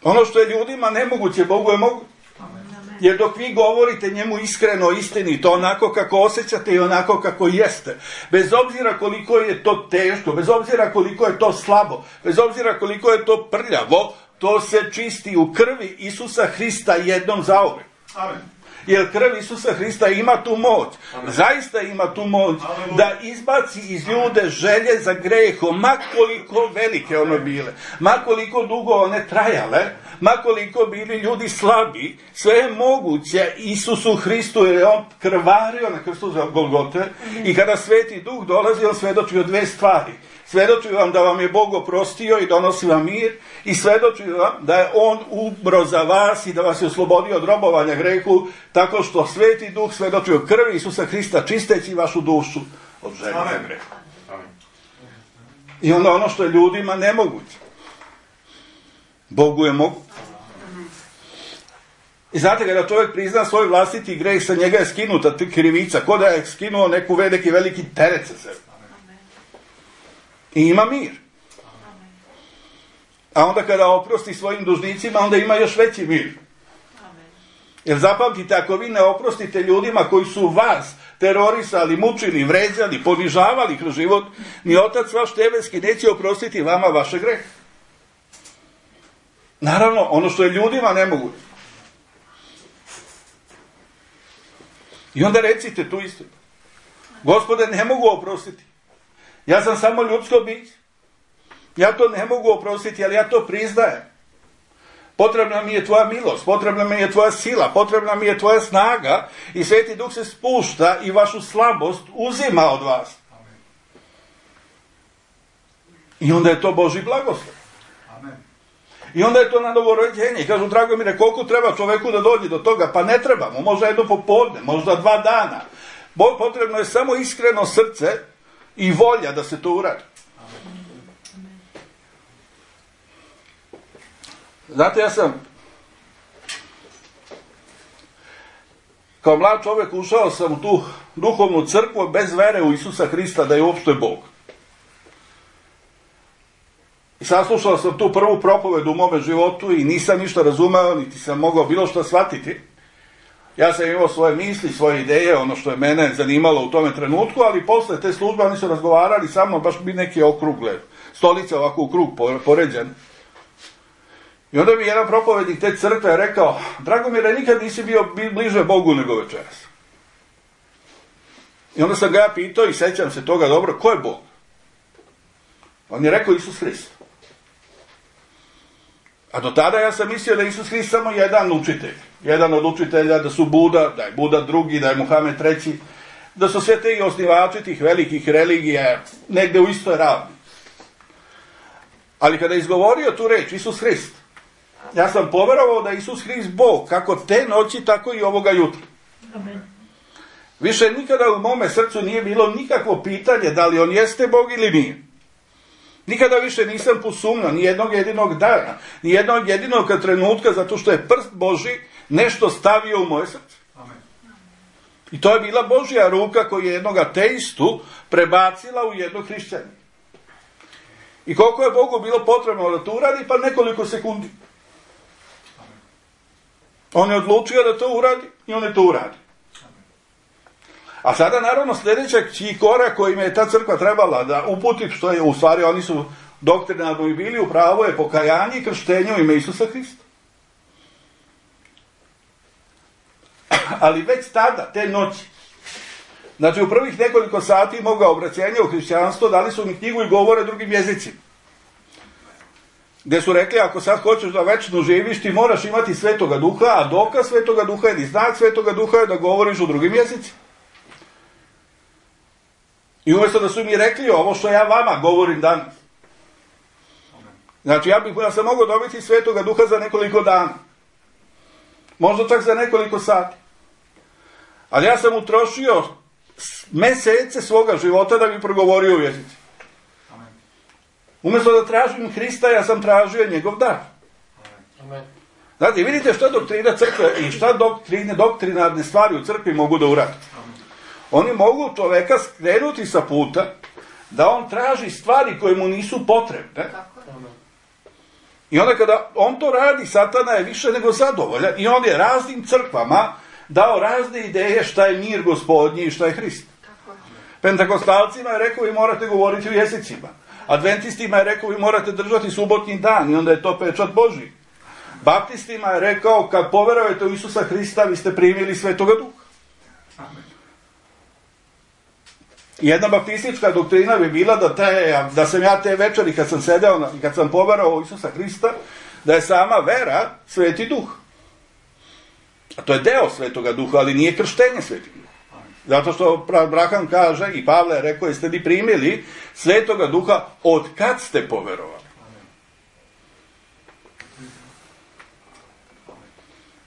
Ono što je ljudima nemoguće, Bogu je moguće. Jer dok vi govorite njemu iskreno, istinito, onako kako osjećate i onako kako jeste, bez obzira koliko je to teško, bez obzira koliko je to slabo, bez obzira koliko je to prljavo, to se čisti u krvi Isusa Hrista jednom zauvek. Amen. Jer krv Isusa Hrista ima tu moć, Amen. Zaista ima tu moć, Amen. Da izbaci iz ljude želje za grehom, makoliko velike one bile, makoliko dugo one trajale, makoliko bili ljudi slabi, sve je moguće Isusu Hristu, jer je on krvario na krstu za Golgote. Amen. I kada Sveti Duh dolazi, on svedoči o dve stvari. Svedoči vam da vam je Bog oprostio i donosi vam mir, i svedoči vam da je on umro za vas i da vas je oslobodio od robovanja grehu, tako što Sveti Duh svedoči o krvi Isusa Hrista, čisteći vašu dušu od želje za grehu. I onda ono što je ljudima nemoguće, Bogu je moguće. I znate, kada čovjek prizna svoj vlastiti greh, sa njega je skinuta krivica, ko da je skinuo neku veliki, veliki teret sa sebe. I ima mir. A onda kada oprosti svojim dužnicima, onda ima još veći mir. Jer zapamtite, ako vi ne oprostite ljudima koji su vas terorisali, mučili, vređali, ponižavali kroz život, ni Otac vaš nebeski neće oprostiti vama vaše grehe. Naravno, ono što je ljudima nemoguće. I onda recite tu istinu. Gospode, ne mogu oprostiti. Ja sam samo ljudsko biće. Ja to ne mogu oprostiti, ali ja to priznajem. Potrebna mi je tvoja milost, potrebna mi je tvoja sila, potrebna mi je tvoja snaga i Sveti Duh se spušta i vašu slabost uzima od vas. I onda je to Božji blagoslov. I onda je to na novorođenje. I kažu, Dragomire, koliko treba čoveku da dođe do toga? Pa ne treba mu, možda jedno popodne, možda dva dana. Potrebno je samo iskreno srce i volja da se to uradi. Znate, ja sam kao mlad čovjek ušao sam u tu duhovnu crkvu bez vere u Isusa Hrista da je uopšte Bog. I saslušao sam tu prvu propovedu u mome životu i nisam ništa razumeo, niti sam mogao bilo što shvatiti. Ja sam imao svoje misli, svoje ideje, ono što je mene zanimalo u tome trenutku, ali posle te službe oni su razgovarali sa mnom, baš bi neke okrugle, stolice ovako u krug poređene. I onda mi jedan propovednik te crkve rekao, Dragomire, nikad nisi bio bliže Bogu nego večeras. I onda sam ga ja pitao i sećam se toga dobro, ko je Bog? On je rekao Isus Hrist. A do tada ja sam mislio da je Isus Hrist samo jedan učitelj. Jedan od učitelja, da su Buda, da je Buda drugi, da je Muhamed treći, da su sve te osnivači tih velikih religija negde u istoj ravni. Ali kada je izgovorio tu reč, Isus Hrist, ja sam poverovao da je Isus Hrist Bog, kako te noći, tako i ovoga jutra. Amen. Više nikada u mome srcu nije bilo nikakvo pitanje da li on jeste Bog ili nije. Nikada više nisam posumnjao, ni jednog jedinog dana, ni jednog jedinog trenutka, zato što je prst Božji nešto stavio u moje srce. Amen. I to je bila Božja ruka koja je jednog ateistu prebacila u jednog hrišćanina. I koliko je Bogu bilo potrebno da to uradi? Pa nekoliko sekundi. On je odlučio da to uradi i on je to uradi. A sada naravno sljedeći korak kojim je ta crkva trebala da uputi, što je u stvari oni su doktrinarno i bili, upravo je pokajanje i krštenje u ime Isusa Hrista. Ali već tada, te noći, znači u prvih nekoliko sati moga obraćenja u hrišćanstvo dali su mi knjigu i govore drugim jezicima. Gdje su rekli, ako sad hoćeš da večno živiš, ti moraš imati Svetoga Duha, a dokaz Svetoga Duha ili znak Svetoga Duha je da govoriš u drugim jezicima. I umjesto da su mi rekli ovo što ja vama govorim danas. Znači, ja bih ja sam mogao dobiti Svetoga Duha za nekoliko dana. Možda čak za nekoliko sati. Ali ja sam utrošio mesece svoga života da bi progovorio u jezici. Umjesto da tražim Hrista, ja sam tražio njegov dar. Znate, vidite šta doktrina crkve i šta doktrine, doktrinarne stvari u crkvi mogu da uradi. Oni mogu čoveka skrenuti sa puta da on traži stvari koje mu nisu potrebne. I onda kada on to radi, Satana je više nego zadovoljan i on je raznim crkvama dao razne ideje šta je mir Gospodnji i šta je Hrist. Pentakostalcima je rekao vi morate govoriti u jezicima. Adventistima je rekao vi morate držati subotnji dan i onda je to pečat Božji. Baptistima je rekao kad poverujete u Isusa Hrista vi ste primili Svetoga Duha. Jedna baptistička doktrina bi bila da, te, da sam ja te večeri kad sam sedeo i kad sam poverovao u Isusa Hrista, da je sama vera Sveti Duh. A to je deo Svetoga Duha, ali nije krštenje Svetog Duha. Zato što Abraham kaže, i Pavle je rekao, jeste li primili Svetoga Duha od kad ste poverovali?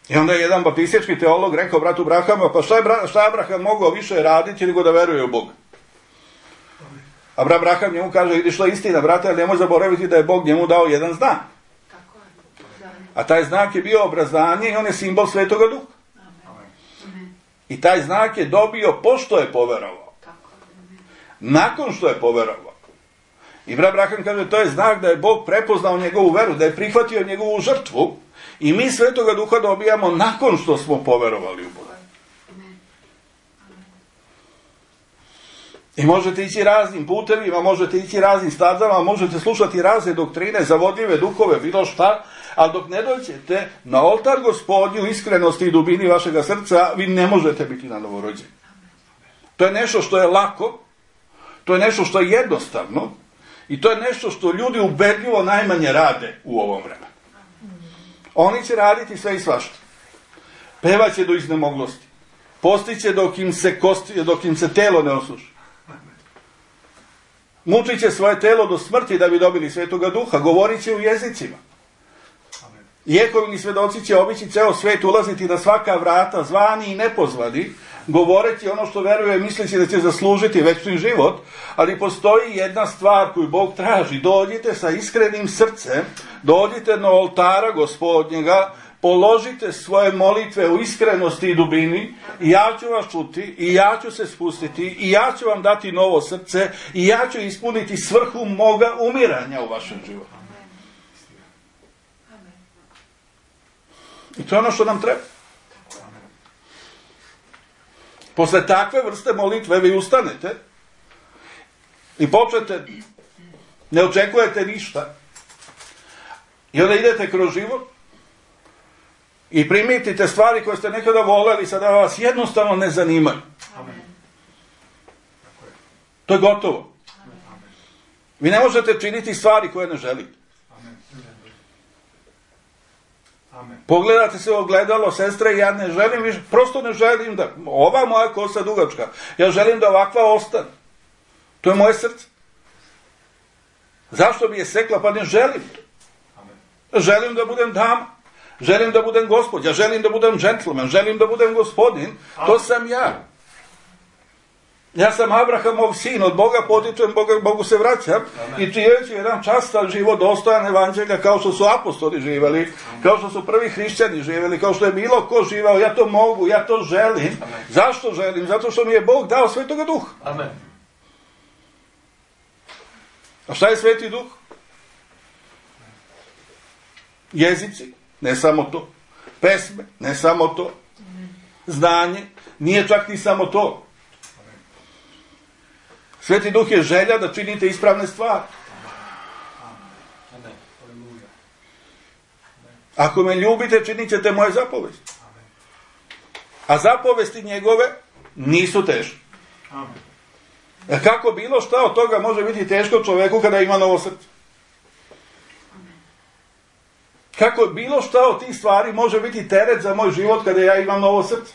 I onda je jedan baptistički teolog rekao bratu Abrahamu, pa šta je, šta je Abraham mogao više raditi nego da veruje u Boga? A Abraham njemu kaže, vidiš što je istina, brate, ali nemoj zaboraviti da je Bog njemu dao jedan znak. A taj znak je bio obrazanje i on je simbol Svetoga Duha. I taj znak je dobio pošto je poverovao. Nakon što je poverovao. I Abraham kaže, to je znak da je Bog prepoznao njegovu veru, da je prihvatio njegovu žrtvu i mi Svetoga Duha dobijamo nakon što smo poverovali u Boga. I možete ići raznim putevima, možete ići raznim stazama, možete slušati razne doktrine, zavodljive duhove, bilo šta, ali dok ne dođete na oltar Gospodnju iskrenosti i dubini vašega srca, vi ne možete biti na novorođenju. To je nešto što je lako, to je nešto što je jednostavno i to je nešto što ljudi ubedljivo najmanje rade u ovom vremenu. Oni će raditi sve i svašta. Pevaće do iznemoglosti. Postiće dok im se, kosti, dok im se telo ne osuši. Mučit će svoje telo do smrti da bi dobili Svetoga Duha. Govorit će u jezicima. Jehovini svedoci će obići ceo svet, ulaziti na svaka vrata, zvani i nepozvani, govoreći ono što veruje, misleći da će zaslužiti večni život, ali postoji jedna stvar koju Bog traži. Dođite sa iskrenim srcem, dođite na oltara Gospodnjega, položite svoje molitve u iskrenosti i dubini i ja ću vas čuti i ja ću se spustiti i ja ću vam dati novo srce i ja ću ispuniti svrhu moga umiranja u vašem životu. I to je ono što nam treba. Posle takve vrste molitve vi ustanete i počnete, ne očekujete ništa i onda idete kroz život i primitite stvari koje ste nekada voleli, sada vas jednostavno ne zanimaju. Amen. To je gotovo. Amen. Vi ne možete činiti stvari koje ne želite. Amen. Amen. Pogledate se u ogledalo, sestre, ja ne želim više, prosto ne želim da, ova moja kosa dugačka, ja želim da ovakva ostane. To je moje srce. Zašto bi je sekla? Pa ne želim to. Amen. Želim da budem dama. Želim da budem gospođa, želim da budem džentlmen, želim da budem gospodin, to sam ja. Ja sam Abrahamov sin, od Boga potičem, Boga, Bogu se vraćam. Amen. I živeći jedan častan život, dostojan evanđelja, kao što su apostoli živeli, kao što su prvi hrišćani živeli, kao što je bilo ko živao, ja to mogu, ja to želim. Amen. Zašto želim? Zato što mi je Bog dao Svetoga Duha. Amen. A šta je Sveti Duh? Jezici. Ne samo to. Pesme, ne samo to. Znanje, nije čak ni samo to. Sveti Duh je želja da činite ispravne stvari. Ako me ljubite, činit ćete moje zapovesti. A zapovesti njegove nisu teške. A kako bilo šta od toga može biti teško čoveku kada ima novo srce? Kako bilo šta od tih stvari može biti teret za moj život kada ja imam novo srce?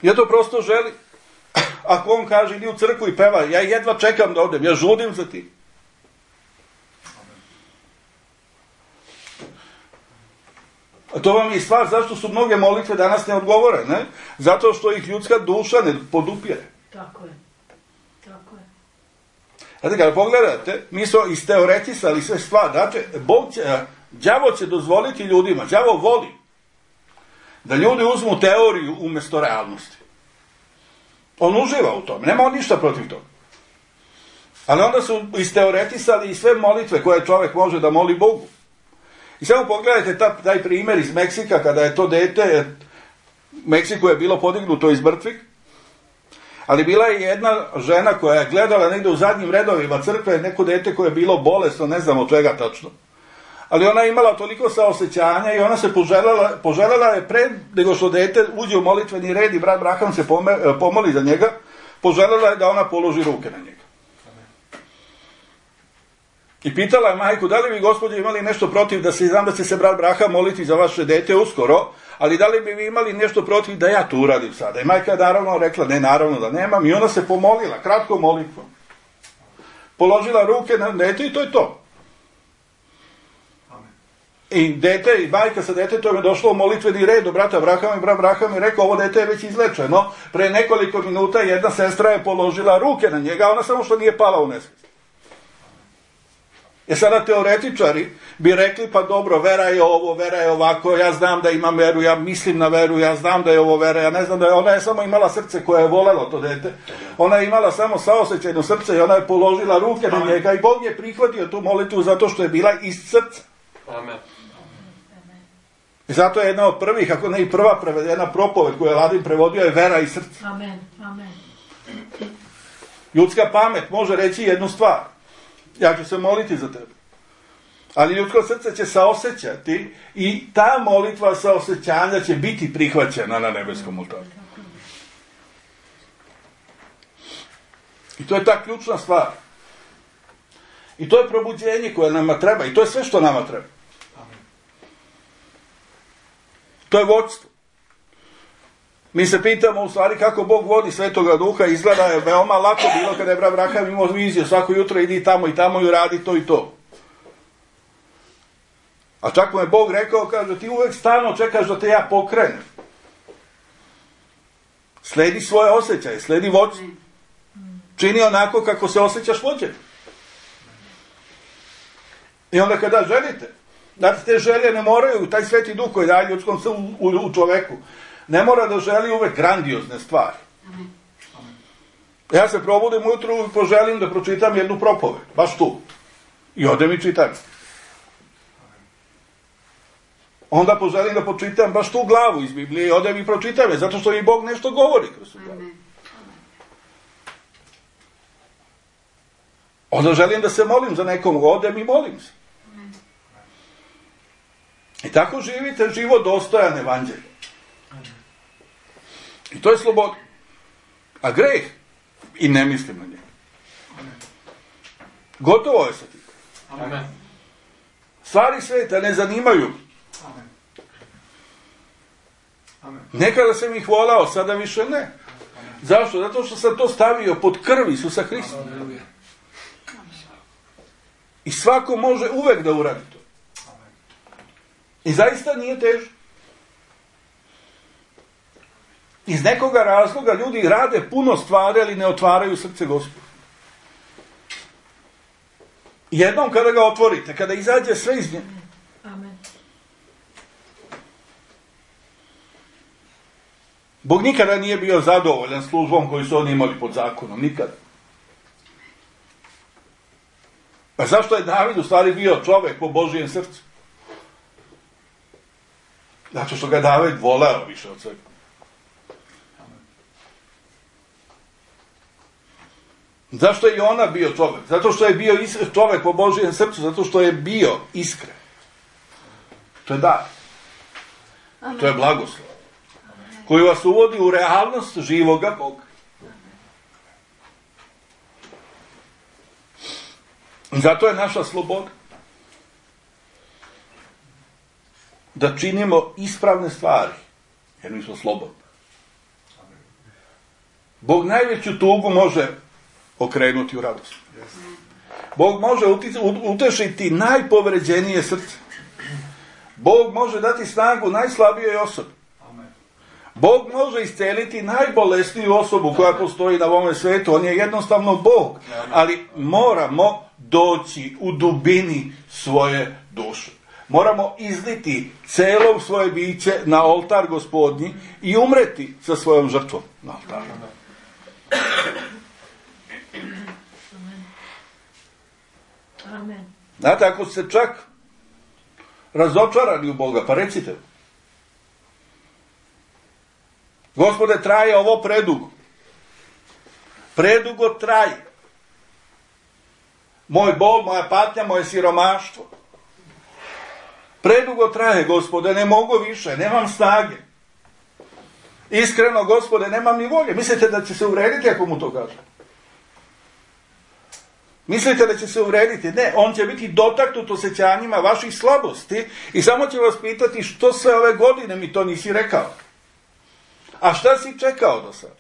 Ja to prosto želim. Ako on kaže idi u crkvu i peva, ja jedva čekam da odem, ja žudim za tim. A to vam je i stvar zašto su mnoge molitve danas neodgovorene. Zato što ih ljudska duša ne podupire. Tako je. Tako je. Znate, kada pogledate, mi smo isteoretisali sve stvari. Znači, Bog će, đavo će dozvoliti ljudima, đavo voli da ljudi uzmu teoriju umjesto realnosti. On uživa u tome, nema on ništa protiv toga. Ali onda su isteoretisali i sve molitve koje čovjek može da moli Bogu. I samo pogledajte ta, taj primjer iz Meksika, kada je to dete, Meksiku je bilo podignuto iz mrtvih, ali bila je jedna žena koja je gledala negdje u zadnjim redovima crkve, neko dete koje je bilo bolesno, ne znam od čega tačno. Ali ona je imala toliko saosećanja i ona se poželjela, poželjela je pred nego što dete uđe u molitveni red i brat Braham se pome, pomoli za njega, poželjela je da ona položi ruke na njega. I pitala je majku, da li vi gospođe imali nešto protiv da se, znam da će se brat Braham moliti za vaše dete uskoro, ali da li bi vi imali nešto protiv da ja to uradim sada? I majka je naravno rekla, ne, naravno da nemam, i ona se pomolila, kratko molitvom. Položila ruke na dete i to je to. I dete, i majka sa detetom je došlo u molitveni red do brata Brahama i brat Braham je rekao, ovo dete je već izlečeno. Pre nekoliko minuta jedna sestra je položila ruke na njega, ona samo što nije pala u nesvijest. E sada teoretičari bi rekli, pa dobro, vera je ovo, vera je ovako, ja znam da imam veru, ja mislim na veru, ja znam da je ovo vera, ja ne znam da je, ona je samo imala srce koje je voljelo to dete, ona je imala samo saosećajno srce i ona je položila ruke na njega i Bog je prihvatio tu molitvu zato što je bila iz srca. Amen. I zato je jedna od prvih, ako ne i prva prevedena propoved koju je Ladin prevodio, je vera i srce. Amen, amen. Ljudska pamet može reći jednu stvar. Ja ću se moliti za tebe. Ali ljudsko srce će saosećati i ta molitva saosećanja će biti prihvaćena na nebeskom oltaru. I to je ta ključna stvar. I to je probuđenje koje nama treba. I to je sve što nama treba. To je vodstvo. Mi se pitamo u stvari kako Bog vodi Svetoga Duha. Izgleda je veoma lako bilo kada je brat Abraham imao viziju. Svako jutro idi tamo i tamo i radi to i to. A čak mu je Bog rekao, kaže, ti uvek stalno čekaš da te ja pokrenem. Sledi svoje osjećaje, sledi vodstvo. Čini onako kako se osjećaš vođen. I onda kada želite, znate, te želje ne moraju, taj Sveti Duh koji daje ljudskom u, u, u čoveku, ne mora da želi uvek grandiozne stvari. Ja se probudim ujutru i poželim da pročitam jednu propoved, baš tu. I odem i čitam. Onda poželim da pročitam baš tu glavu iz Biblije i odem i pročitam je, zato što i Bog nešto govori kroz tu glavu. Onda želim da se molim za nekom, odem i molim se. I tako živite život dostojan evanđelja. I to je sloboda. A greh, i ne mislim na njega. Gotovo je sa tim. Amen. Stvari sveta ne zanimaju. Amen. Amen. Nekada sam ih volao, sada više ne. Amen. Zašto? Zato što sam to stavio pod krv Isusa Hrista. Amen. I svako može uvek da uradi to. Amen. I zaista nije teško. Iz nekoga razloga ljudi rade puno stvari, ali ne otvaraju srce Gospodu. Jednom kada ga otvorite, kada izađe sve iz nje. Amen. Bog nikada nije bio zadovoljan službom koju su oni imali pod zakonom. Nikada. A zašto je David u stvari bio čovek po Božijem srcu? Zato što ga David voleo više od svega. Zašto je i ona bio čovek? Zato što je bio čovek po Božijem srcu, zato što je bio iskren. To je dar. Amen. To je blagoslov. Koji vas uvodi u realnost živoga Boga. Zato je naša sloboda da činimo ispravne stvari, jer mi smo slobodni. Bog najveću tugu može okrenuti u radost. Bog može utešiti najpovređenije srce. Bog može dati snagu najslabijoj osobi. Bog može isceliti najbolesniju osobu koja postoji na ovome svetu. On je jednostavno Bog. Ali moramo doći u dubini svoje duše. Moramo izliti celo svoje biće na oltar Gospodnji i umreti sa svojom žrtvom na oltaru. Amen. Znate, ako ste čak razočarani u Boga, pa recite: Gospode, traje ovo predugo. Predugo traje. Moj bol, moja patnja, moje siromaštvo. Predugo traje, Gospode, ne mogu više, nemam snage. Iskreno, Gospode, nemam ni volje. Mislite da će se uvrediti ako mu to kaže? Mislite da će se uvrediti? Ne, on će biti dotaknut osjećanjima vaših slabosti i samo će vas pitati što sve ove godine mi to nisi rekao. A šta si čekao do sada?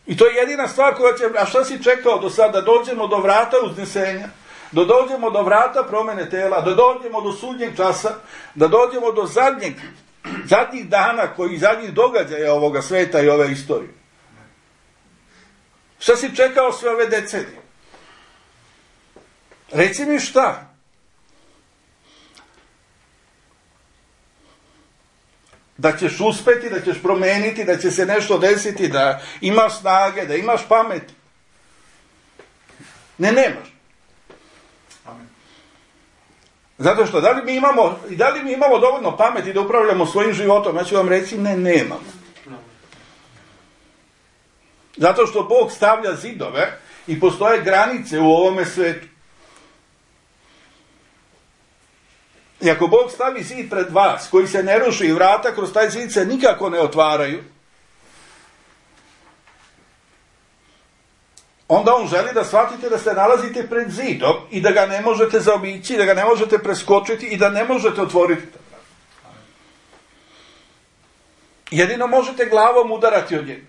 I to je jedina stvar koja će... A šta si čekao do sada? Da dođemo do vrata uznesenja, da dođemo do vrata promene tela, da dođemo do sudnjeg časa, da dođemo do zadnjeg, zadnjih dana, koji zadnjih događaja ovoga sveta i ove istorije. Šta si čekao sve ove decenije? Reci mi šta? Da ćeš uspeti, da ćeš promeniti, da će se nešto desiti, da imaš snage, da imaš pamet. Ne, nemaš. Amen. Zato što, da li mi imamo, da li mi imamo dovoljno pameti da upravljamo svojim životom? Ja ću vam reći, ne, nemamo. Amen. Zato što Bog stavlja zidove i postoje granice u ovome svetu. I ako Bog stavi zid pred vas, koji se ne ruši i vrata kroz taj zid se nikako ne otvaraju, onda on želi da shvatite da se nalazite pred zidom i da ga ne možete zaobići, da ga ne možete preskočiti i da ne možete otvoriti. Jedino možete glavom udarati od njega.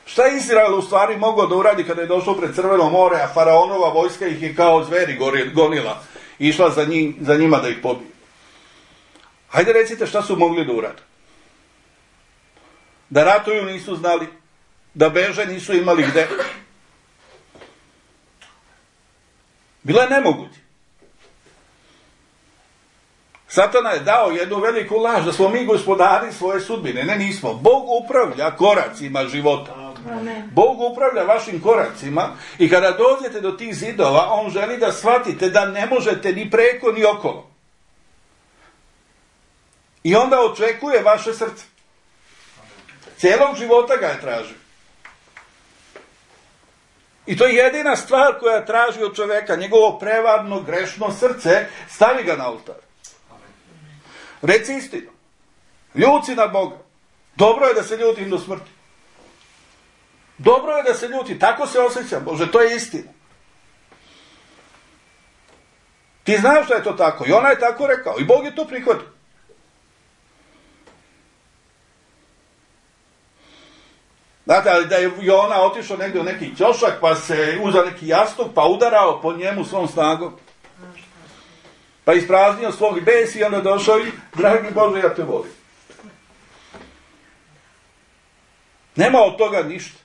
Šta je Izrael u stvari mogao da uradi kada je došao pred Crveno more, a faraonova vojska ih je kao zveri gonila i išla za, njim, za njima da ih pobije? Hajde recite šta su mogli da urade. Da ratuju nisu znali, da beže nisu imali gde. Bilo je nemoguće. Satana je dao jednu veliku laž da smo mi gospodari svoje sudbine. Ne, nismo. Bog upravlja koracima života. Amen. Bog upravlja vašim koracima i kada dođete do tih zidova, on želi da shvatite da ne možete ni preko ni okolo. I onda očekuje vaše srce. Cijelog života ga je tražio. I to je jedina stvar koja traži od čoveka, njegovo prevarno, grešno srce, stavi ga na oltar. Reci istinu. Ljuti na Boga. Dobro je da se ljutim do smrti. Dobro je da se ljuti. Tako se osjećam. Bože, to je istina. Ti znaš da je to tako. I ona je tako rekao. I Bog je to prihvatio. Znate, ali da je Jona otišao negdje u neki ćošak, pa se uzao neki jastuk, pa udarao po njemu svom snagom. Pa ispraznio svog bes i onda došao i, dragi Bože, ja te volim. Nema od toga ništa.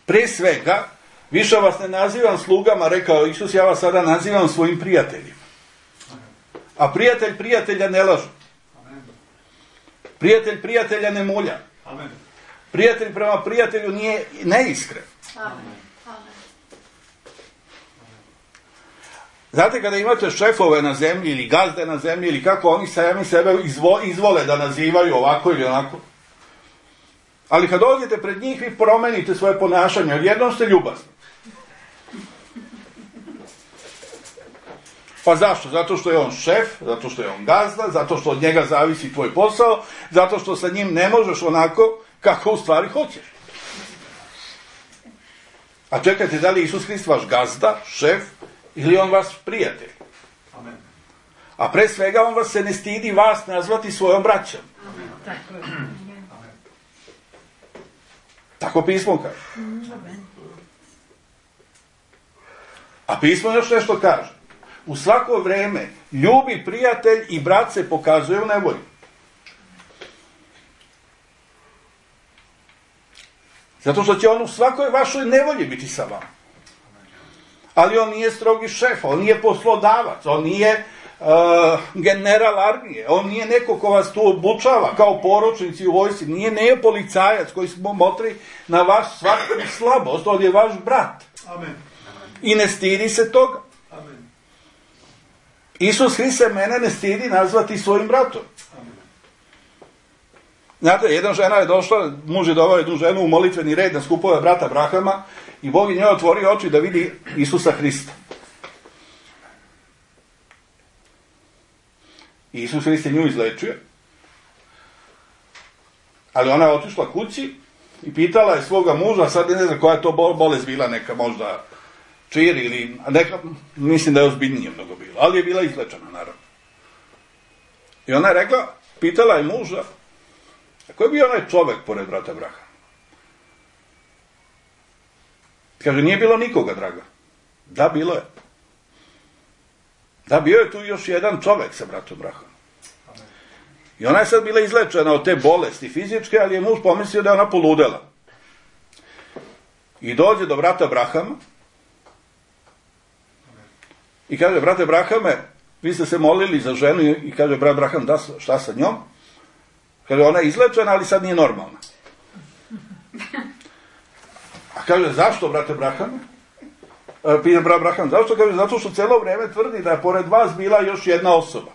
Prije svega, više vas ne nazivam slugama, rekao Isus, ja vas sada nazivam svojim prijateljima. A prijatelj prijatelja ne laže. Prijatelj prijatelja ne mulja. Prijatelj prema prijatelju nije neiskren. Amen. Znate, kada imate šefove na zemlji ili gazde na zemlji ili kako oni sami sebe izvo, izvole da nazivaju ovako ili onako. Ali kad dođete pred njih, vi promenite svoje ponašanje. Odjednom ste ljubazni. Pa zašto? Zato što je on šef, zato što je on gazda, zato što od njega zavisi tvoj posao, zato što sa njim ne možeš onako kako u stvari hoćeš. A čekajte, da li je Isus Hrist vaš gazda, šef, ili on vas prijatelj? Amen. A pre svega on vas se ne stidi vas nazvati svojom braćom. Amen. Tako je. Amen. Tako pismo kaže. Amen. A pismo još nešto kaže. U svako vreme ljubi prijatelj i brat se pokazuje u nevolji. Zato što će on u svakoj vašoj nevolji biti sa vama. Ali on nije strogi šef, on nije poslodavac, on nije uh, general armije, on nije neko ko vas tu obučava kao poručnici u vojsci, nije nije policajac koji smo motri na vaš svaku slabost, on je vaš brat. Amen. I ne stidi se toga. Amen. Isus Hrist se mene ne stidi nazvati svojim bratom. Amen. Znate, jedna žena je došla, muž je doveo jednu ženu u molitveni red na skupove brata Abrahama i Bog je njoj otvorio oči da vidi Isusa Hrista. I Isus Hrist je nju izlečio, ali ona je otišla kući i pitala je svoga muža, sad ne znam koja je to bolest bila, neka možda čir ili neka, mislim da je ozbiljnije mnogo bilo, ali je bila izlečena naravno. I ona je rekla, pitala je muža, a ko je bio onaj čovek pored brata Abrahama? Kaže, nije bilo nikoga, draga. Da, bilo je. Da, bio je tu još jedan čovek sa bratom Abrahamom. I ona je sad bila izlečena od te bolesti fizičke, ali je muž pomislio da je ona poludela. I dođe do brata Abrahama i kaže, brate Abrahame, vi ste se molili za ženu i kaže, brat Abraham, da, šta sa njom? Kaže, ona je izlečena, ali sad nije normalna. A kaže, zašto, brate Abrahame? Pita brat Abraham, zašto? Kaže, zato što cijelo vrijeme tvrdi da je pored vas bila još jedna osoba.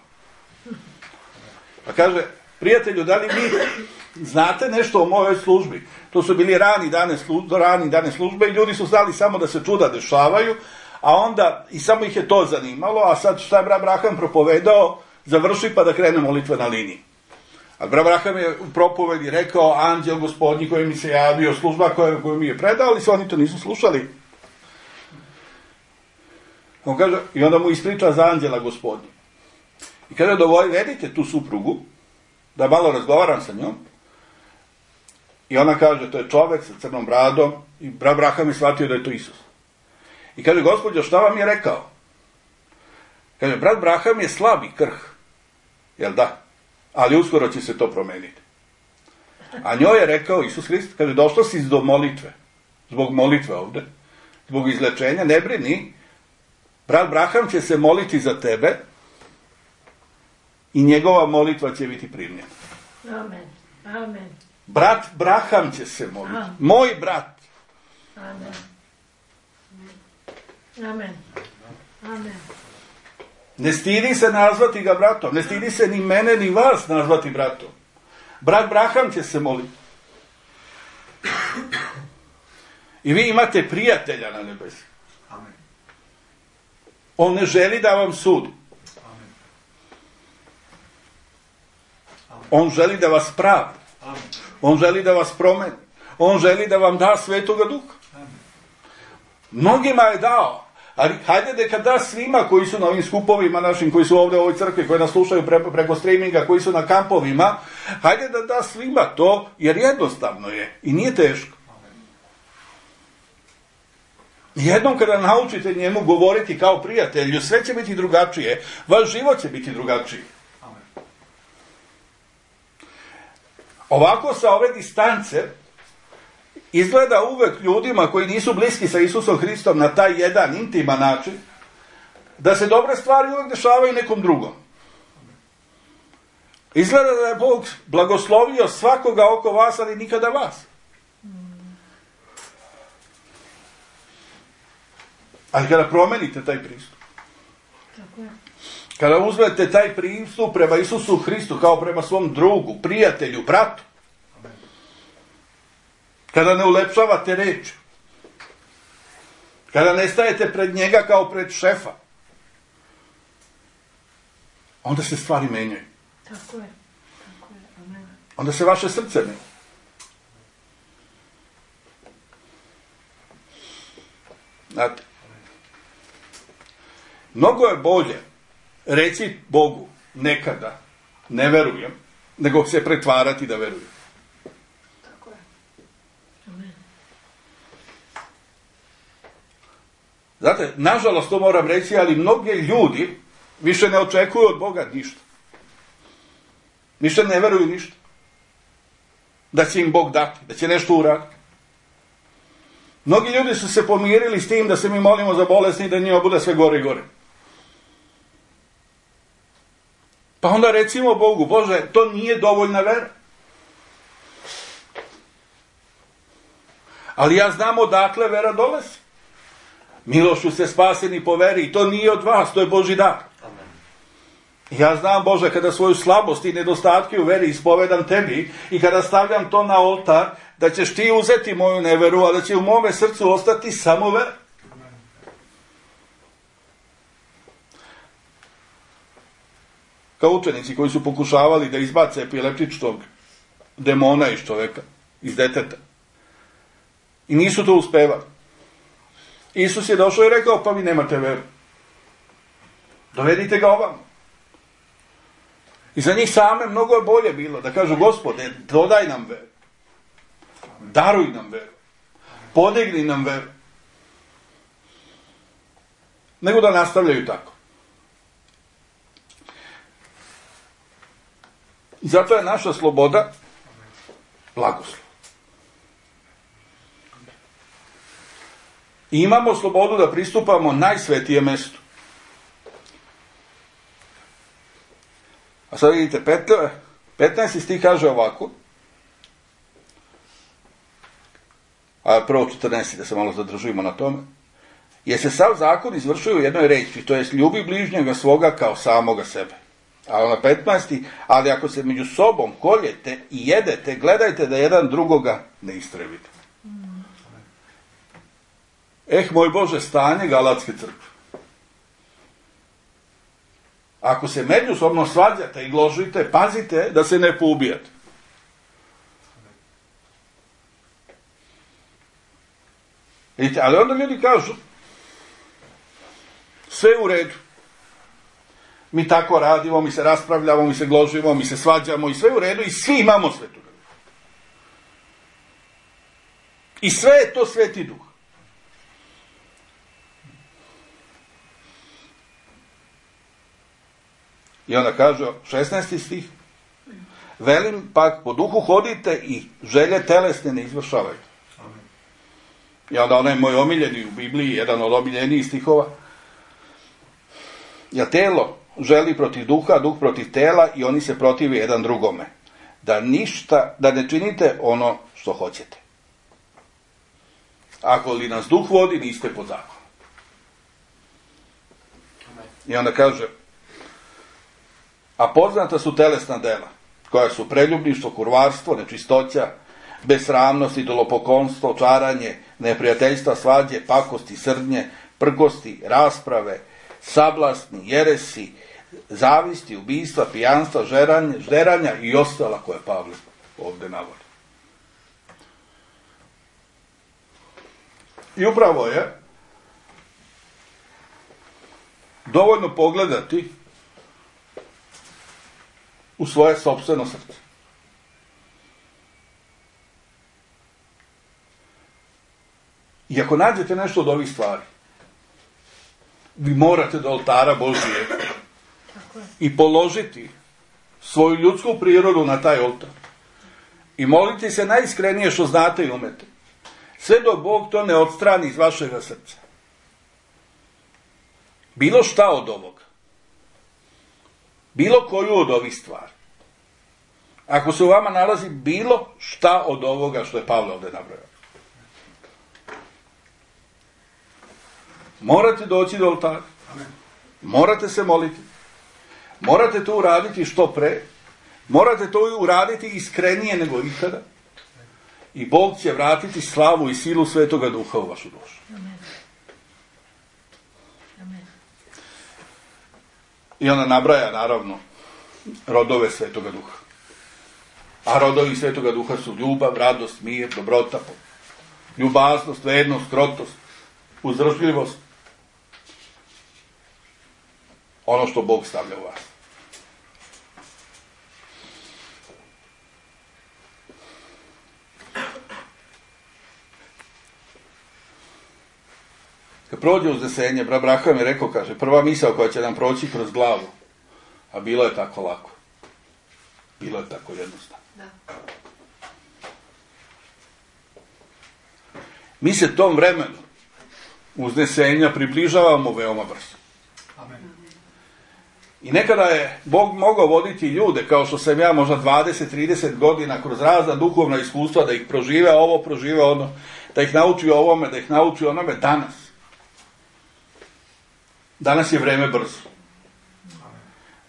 Pa kaže, Prijatelju, da li vi znate nešto o mojoj službi? To su bili rani dane, slu, rani dane službe i ljudi su znali samo da se čuda dešavaju, a onda i samo ih je to zanimalo, a sad šta je brat Braham propovedao, završi pa da krene molitve na liniji. A brat Braham je u propovedi rekao, anđel gospodnji koji mi se javio, služba koju, koju mi je predao, ali se oni to nisu slušali. On kaže, i onda mu ispriča za anđela gospodnji. I kada dovedite tu suprugu, da malo razgovaram sa njom, i ona kaže, to je čovek sa crnom bradom, i brat Braham je shvatio da je to Isus. I kaže, gospođo, šta vam je rekao? Kaže, brat Braham je slab i krh. Jel da? Ali uskoro će se to promeniti. A njoj je rekao Isus Hrist, kaže, došla si do molitve, zbog molitve ovde, zbog izlečenja, ne brini, brat Braham će se moliti za tebe i njegova molitva će biti primljena. Amen. Amen. Brat Braham će se moliti. Amen. Moj brat. Amen. Amen. Amen. Ne stidi se nazvati ga bratom. Ne stidi se ni mene, ni vas nazvati bratom. Brat Braham će se moliti. I vi imate prijatelja na nebesi. Amen. On ne želi da vam sudi. Amen. On želi da vas pravi. Amen. On želi da vas promeni. On želi da vam da Svetoga Duha. Amen. Mnogima je dao. Ali hajde neka da svima koji su na ovim skupovima našim, koji su ovdje u ovoj crkvi, koji nas slušaju pre, preko streaminga, koji su na kampovima, hajde da da svima to, jer jednostavno je i nije teško. Jednom kada naučite njemu govoriti kao prijatelju, sve će biti drugačije, vaš život će biti drugačiji. Ovako sa ove distance izgleda uvek ljudima koji nisu bliski sa Isusom Hristom na taj jedan intiman način, da se dobre stvari uvek dešavaju nekom drugom. Izgleda da je Bog blagoslovio svakoga oko vas, ali nikada vas. Ali kada promenite taj pristup, kada uzmete taj pristup prema Isusu Hristu kao prema svom drugu, prijatelju, bratu, kada ne ulepšavate reč, kada ne stajete pred njega kao pred šefa, onda se stvari menjaju. Tako je. Tako je. Amen. Onda se vaše srce menja. Znate, mnogo je bolje reći Bogu nekada ne verujem, nego se pretvarati da verujem. Tako je. Amen. Znate, nažalost to moram reći, ali mnogi ljudi više ne očekuju od Boga ništa. Više ne veruju ništa. Da će im Bog dati, da će nešto uraditi. Mnogi ljudi su se pomirili s tim da se mi molimo za bolesni i da njima bude sve gore i gore. Pa onda recimo Bogu, Bože, to nije dovoljna vera. Ali ja znam odakle vera dolazi. Milošu se spaseni po veri i to nije od vas, to je Božji dar. Ja znam, Bože, kada svoju slabost i nedostatke u veri ispovedam tebi i kada stavljam to na oltar, da ćeš ti uzeti moju neveru, a da će u mome srcu ostati samo vera. Kao učenici koji su pokušavali da izbace epileptičnog demona iz čoveka, iz deteta. I nisu to uspevali. Isus je došao i rekao, pa vi nemate veru. Dovedite ga ovamo. I za njih same mnogo je bolje bilo da kažu, Gospode, dodaj nam veru. Daruj nam veru. Podigni nam veru. Nego da nastavljaju tako. I zato je naša sloboda blagoslov. I imamo slobodu da pristupamo najsvetijem mestu. A sad vidite, petnaesti stih kaže ovako, a prvo četrnaesti, da se malo zadržujemo na tome, jer se sav zakon izvršuje u jednoj reči, to jest ljubi bližnjega svoga kao samoga sebe. A na petnaesti, ali ako se među sobom koljete i jedete, gledajte da jedan drugoga ne istrebite. Mm. Eh, moj Bože, stanje Galatske crkve. Ako se međusobno svađate i gložite, pazite da se ne poubijate. Vidite, ali onda ljudi kažu, sve u redu. Mi tako radimo, mi se raspravljamo, mi se gložimo, mi se svađamo i sve u redu i svi imamo Svetog Duha. I sve je to Sveti Duh. I onda kaže, šesnaesti stih, velim, pak po duhu hodite i želje telesne ne izvršavajte. Amen. I onda onaj moj omiljeni u Bibliji, jedan od omiljenijih stihova, ja telo želi protiv duha, duh protiv tela i oni se protive jedan drugome. Da ništa, da ne činite ono što hoćete. Ako li nas duh vodi, niste pod zakonom. I onda kaže, a poznata su telesna dela, koja su preljubništvo, kurvarstvo, nečistoća, besramnost, idolopoklonstvo, čaranje, neprijateljstva, svađe, pakosti, srdnje, prkosti, rasprave, sablasni, jeresi, zavisti, ubijstva, pijanstva, žeranja, žderanja i ostala koje Pavle ovdje navodi. I upravo je dovoljno pogledati u svoje sopstveno srce. I ako nađete nešto od ovih stvari, vi morate do oltara Božije i položiti svoju ljudsku prirodu na taj oltar. I moliti se najiskrenije što znate i umete. Sve dok Bog to ne odstrani iz vašega srca. Bilo šta od ovoga. Bilo koju od ovih stvari. Ako se u vama nalazi bilo šta od ovoga što je Pavle ovdje nabrojao. Morate doći do oltara. Morate se moliti. Morate to uraditi što pre. Morate to uraditi iskrenije nego ikada. I Bog će vratiti slavu i silu Svetoga Duha u vašu dušu. Amen. Amen. I ona nabraja, naravno, rodove Svetoga Duha. A rodovi Svetoga Duha su ljubav, radost, mir, dobrota, ljubaznost, vernost, krotost, uzdržljivost. Ono što Bog stavlja u vas. Kad prođe uznesenje, brat Braham je rekao, kaže, prva misao koja će nam proći kroz glavu, a bilo je tako lako. Bilo je tako jednostavno. Da. Mi se tom vremenu uznesenja približavamo veoma brzo. Amen. I nekada je Bog mogao voditi ljude, kao što sam ja možda dvadeset trideset godina kroz razna duhovna iskustva, da ih prožive ovo, prožive ono, da ih nauči ovome, da ih nauči onome. Danas. Danas je vreme brzo.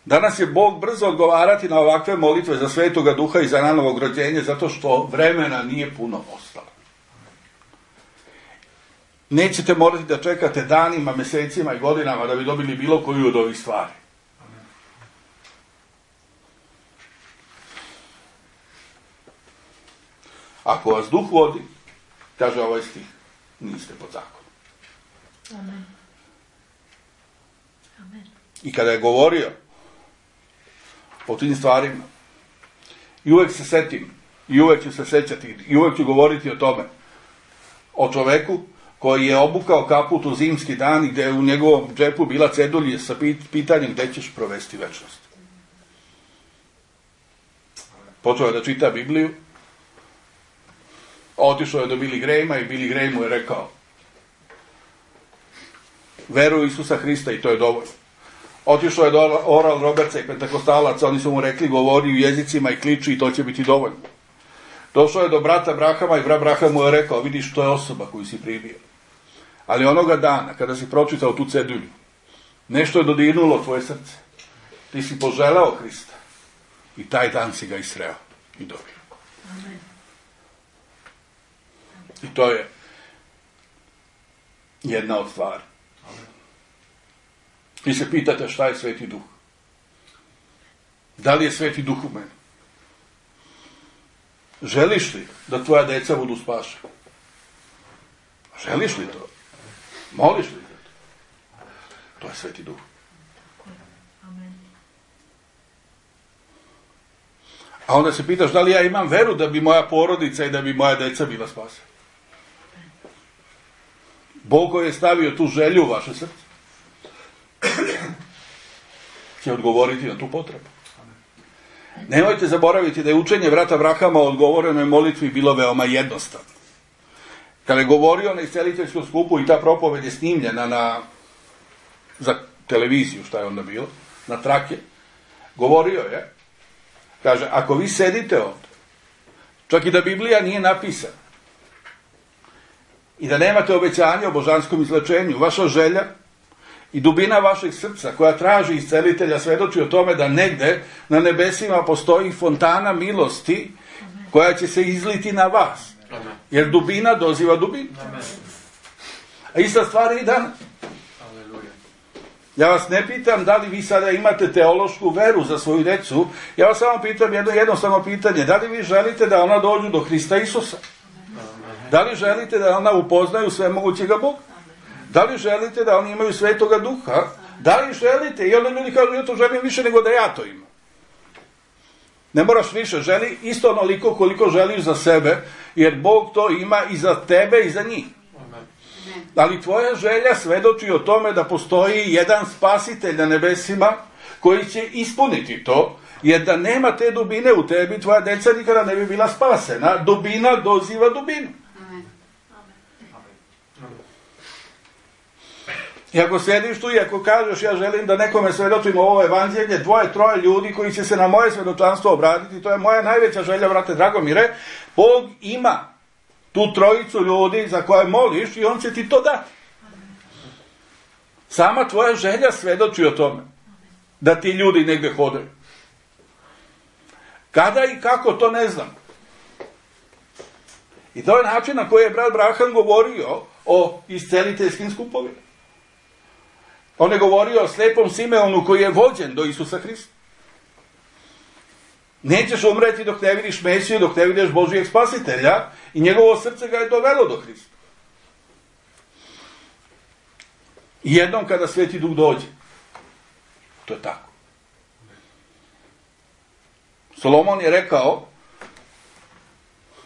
Danas je Bog brzo odgovarati na ovakve molitve za Svetoga Duha i za nanovog rođenje, zato što vremena nije puno ostalo. Nećete morati da čekate danima, mjesecima i godinama da bi dobili bilo koju od ovih stvari. Ako vas Duh vodi, kaže ovaj stih, niste pod zakonom. Amen. Amen. I kada je govorio o tim stvarima, i uvek se setim, i uvek ću se sećati, i uvek ću govoriti o tome, o čoveku koji je obukao kaput u zimski dan i gdje je u njegovom džepu bila cedulja sa pitanjem gdje ćeš provesti večnost. Počeo je da čita Bibliju, otišao je do Billy Grahama i Billy Graham mu je rekao, veruj u Isusa Hrista i to je dovoljno. Otišao je do Oral Robertsa i pentekostalaca, oni su mu rekli govori u jezicima i kliči i to će biti dovoljno. Došao je do brata Brahama i brat Braham mu je rekao, vidiš, to je osoba koju si primio. Ali onoga dana, kada si pročitao tu cedulju, nešto je dodirnulo tvoje srce. ti si poželeo Hrista i taj dan si ga i sreo i dobio. Amen. I to je jedna od stvari. Vi se pitate šta je Sveti Duh. Da li je Sveti Duh u meni? Želiš li da tvoja deca budu spašena? Želiš li to? Moliš li za to? To je Sveti Duh. Amen. A onda se pitaš da li ja imam veru da bi moja porodica i da bi moja deca bila spasena. Bog koji je stavio tu želju u vaše srce će odgovoriti na tu potrebu. Nemojte zaboraviti da je učenje brata Abrahama o odgovorenoj molitvi bilo veoma jednostavno. Kada je govorio na isceliteljskom skupu i ta propoved je snimljena na, za televiziju, šta je onda bilo, na trake, govorio je, kaže, ako vi sedite ovdje, čak i da Biblija nije napisana, i da nemate obećanje o božanskom izlečenju, vaša želja i dubina vašeg srca koja traži iscelitelja svedoči o tome da negde na nebesima postoji fontana milosti koja će se izliti na vas. Jer dubina doziva dubinu. A ista stvar je i danas. Ja vas ne pitam da li vi sada imate teološku veru za svoju decu, ja vas samo pitam jedno jednostavno pitanje, da li vi želite da ona dođu do Hrista Isusa? Da li želite da ona upoznaju svemogućega Boga? Da li želite da oni imaju Svetoga Duha? Da li želite? I onda ljudi kažu, ja to želim više nego da ja to imam. Ne moraš više, želi isto onoliko koliko želiš za sebe, jer Bog to ima i za tebe i za njih. Ali tvoja želja svedoči o tome da postoji jedan spasitelj na nebesima koji će ispuniti to, jer da nema te dubine u tebi, tvoja deca nikada ne bi bila spasena. Dubina doziva dubinu. I ako sjediš tu i ako kažeš ja želim da nekome svedočim ovo evanđelje, dvoje, troje ljudi koji će se na moje svedočanstvo obratiti, to je moja najveća želja, brate Dragomire, Bog ima tu trojicu ljudi za koje moliš i on će ti to dati. Sama tvoja želja svedoči o tome da ti ljudi negdje hodaju. Kada i kako, to ne znam. I to je način na koji je brat Braham govorio o isceliteljskim skupovima. On je govorio o slepom Simeonu koji je vođen do Isusa Hrista. Nećeš umreti dok ne vidiš Mesiju, dok ne vidiš Božijeg spasitelja i njegovo srce ga je dovelo do Hrista. I jednom kada Sveti Duh dođe, to je tako. Solomon je rekao,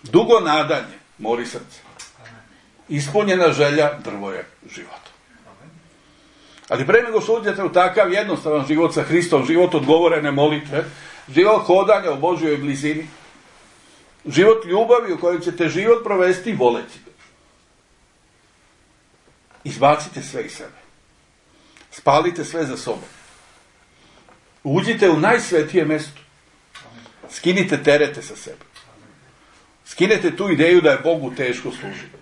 dugo nadanje mori srce. Ispunjena želja drvo je života. Ali pre nego što uđete u takav jednostavan život sa Hristom, život odgovorene molitve, život hodanja u Božjoj blizini, život ljubavi u kojoj ćete život provesti voleći ga. Izbacite sve iz sebe. Spalite sve za sobom. Uđite u najsvetije mjesto. Skinite terete sa sebe. Skinete tu ideju da je Bogu teško služiti.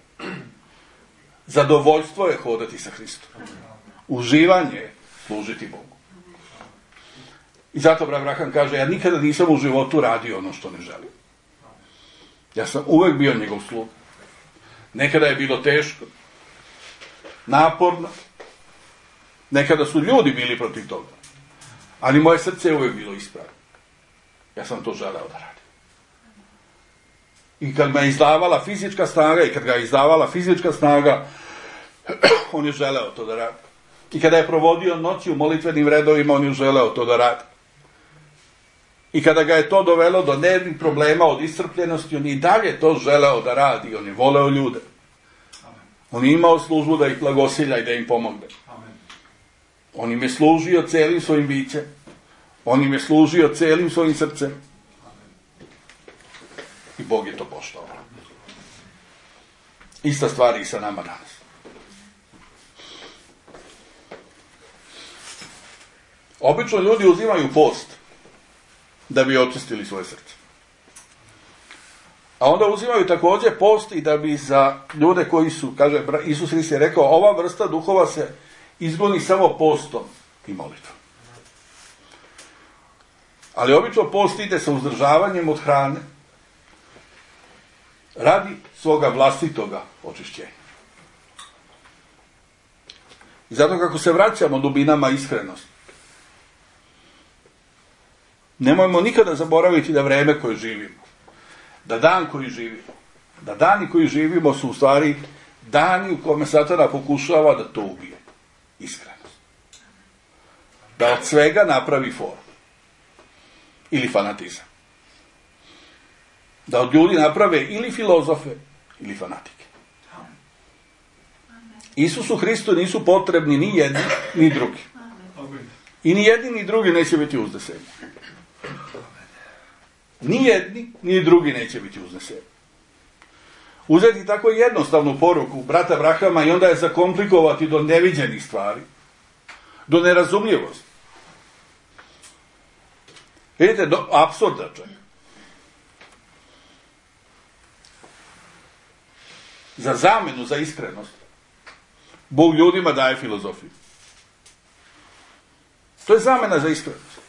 Zadovoljstvo je hodati sa Hristom. Uživanje je služiti Bogu. I zato brat Abraham kaže, ja nikada nisam u životu radio ono što ne želim. Ja sam uvek bio njegov sluga. Nekada je bilo teško, naporno, nekada su ljudi bili protiv toga. Ali moje srce je uvek bilo ispravno. Ja sam to želeo da radim. I kad me izdavala fizička snaga i kad ga je izdavala fizička snaga, on je želeo to da radi. I kada je provodio noći u molitvenim redovima, on je želeo to da radi. I kada ga je to dovelo do nervnih problema, od iscrpljenosti, on je i dalje to želeo da radi. On je voleo ljude. On je imao službu da ih blagosilja i da im pomogne. On im je služio celim svojim bićem. On im je služio celim svojim srcem. I Bog je to poštovao. Ista stvar i sa nama danas. Obično ljudi uzimaju post da bi očistili svoje srce. A onda uzimaju također post i da bi za ljude koji su, kaže Isus Hrist je rekao, ova vrsta duhova se izgoni samo postom i molitvom. Ali obično post ide sa uzdržavanjem od hrane radi svoga vlastitoga očišćenja. I zato kako se vraćamo dubinama iskrenosti, nemojmo nikada zaboraviti da vreme koje živimo, da dan koji živimo, da dani koji živimo su u stvari dani u kome Satana pokušava da to ubije. Iskrenost. Da od svega napravi formu. Ili fanatizam. Da od ljudi naprave ili filozofe, ili fanatike. Isusu Hristu nisu potrebni ni jedni, ni drugi. I ni jedni, ni drugi neće biti uzneseni. Ni jedni, ni drugi neće biti uzneseni. Uzeti tako jednostavnu poruku brata Abrahama i onda je zakomplikovati do neviđenih stvari, do nerazumljivosti. Vidite, do apsurda čak. Za zamenu, za iskrenost, Bog ljudima daje filozofiju. To je zamena za iskrenost.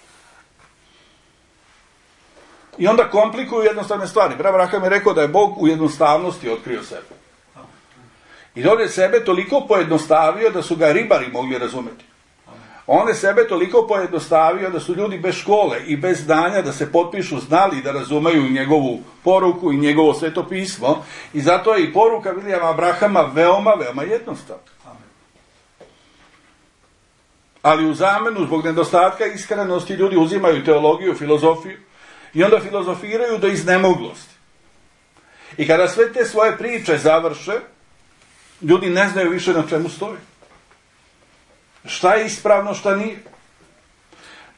I onda komplikuju jednostavne stvari. Brat Abraham je rekao da je Bog u jednostavnosti otkrio sebe. I on je sebe toliko pojednostavio da su ga ribari mogli razumjeti. On je sebe toliko pojednostavio da su ljudi bez škole i bez znanja da se potpišu znali da razumeju njegovu poruku i njegovo sveto pismo. I zato je i poruka Vilijama Abrahama veoma, veoma jednostavna. Ali u zamenu, zbog nedostatka iskrenosti, ljudi uzimaju teologiju, filozofiju i onda filozofiraju do iznemoglosti. I kada sve te svoje priče završe, ljudi ne znaju više na čemu stoji. Šta je ispravno, šta nije.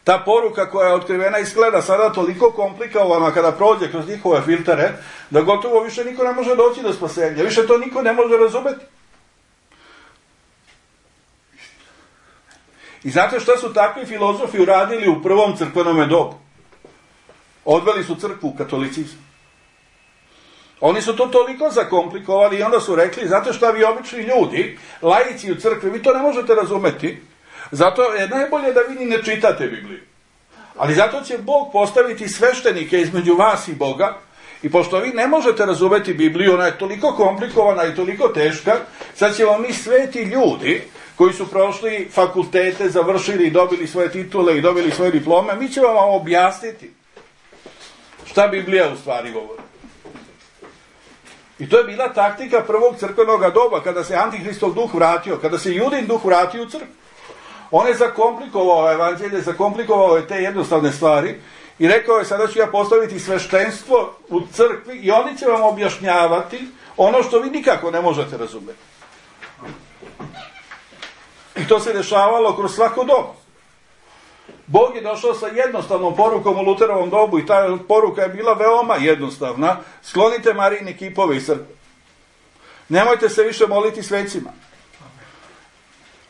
Ta poruka koja je otkrivena izgleda sada toliko komplikovana kada prođe kroz njihove filtere, da gotovo više niko ne može doći do spasenja. Više to niko ne može razumeti. I znate šta su takvi filozofi uradili u prvom crkvenom dobu? Odveli su crkvu u katolicizam. Oni su to toliko zakomplikovali i onda su rekli, znate šta, vi obični ljudi, laici u crkvi, vi to ne možete razumeti, zato je najbolje da vi ni ne čitate Bibliju. Ali zato će Bog postaviti sveštenike između vas i Boga, i pošto vi ne možete razumeti Bibliju, ona je toliko komplikovana i toliko teška, sad ćemo mi sveti ljudi, koji su prošli fakultete, završili i dobili svoje titule i dobili svoje diplome, mi ćemo vam objasniti šta Biblija u stvari govori. I to je bila taktika prvog crkvenog doba, kada se Antihristov duh vratio, kada se Judin duh vratio u crkvu. On je zakomplikovao evanđelje, zakomplikovao je te jednostavne stvari i rekao je, sada ću ja postaviti sveštenstvo u crkvi i oni će vam objašnjavati ono što vi nikako ne možete razumjeti. I to se dešavalo kroz svako dobu. Bog je došao sa jednostavnom porukom u Luterovom dobu i ta poruka je bila veoma jednostavna. Sklonite Marijine kipove iz crkve. Nemojte se više moliti svecima.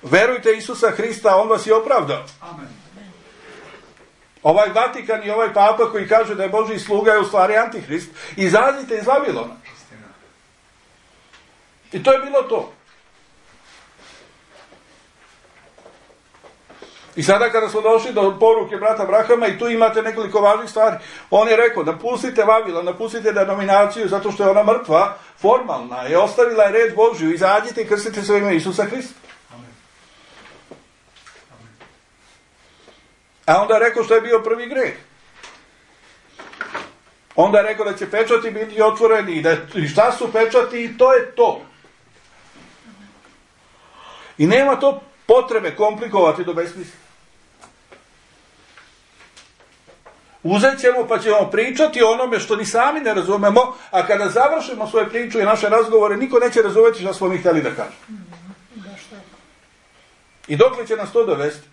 Verujte Isusa Hrista, on vas je opravdao. Amen. Ovaj Vatikan i ovaj Papa koji kaže da je Božji sluga je u stvari Antihrist. Izađite iz Vavilona. I to je bilo to. I sada kada smo došli do poruke brata Abrahama i tu imate nekoliko važnih stvari, on je rekao, napustite Vavilon, napustite denominaciju zato što je ona mrtva, formalna, je ostavila je red Božju, izađite i krstite se u ime Isusa Hrista. A onda je rekao što je bio prvi greh. Onda je rekao da će pečati biti otvoreni i, da, i šta su pečati i to je to. I nema to potrebe komplikovati do besmisla. Uzet ćemo pa ćemo pričati o onome što ni sami ne razumemo, a kada završimo svoje priču i naše razgovore, niko neće razumjeti što smo mi htjeli da kažemo. I dokle će nas to dovesti?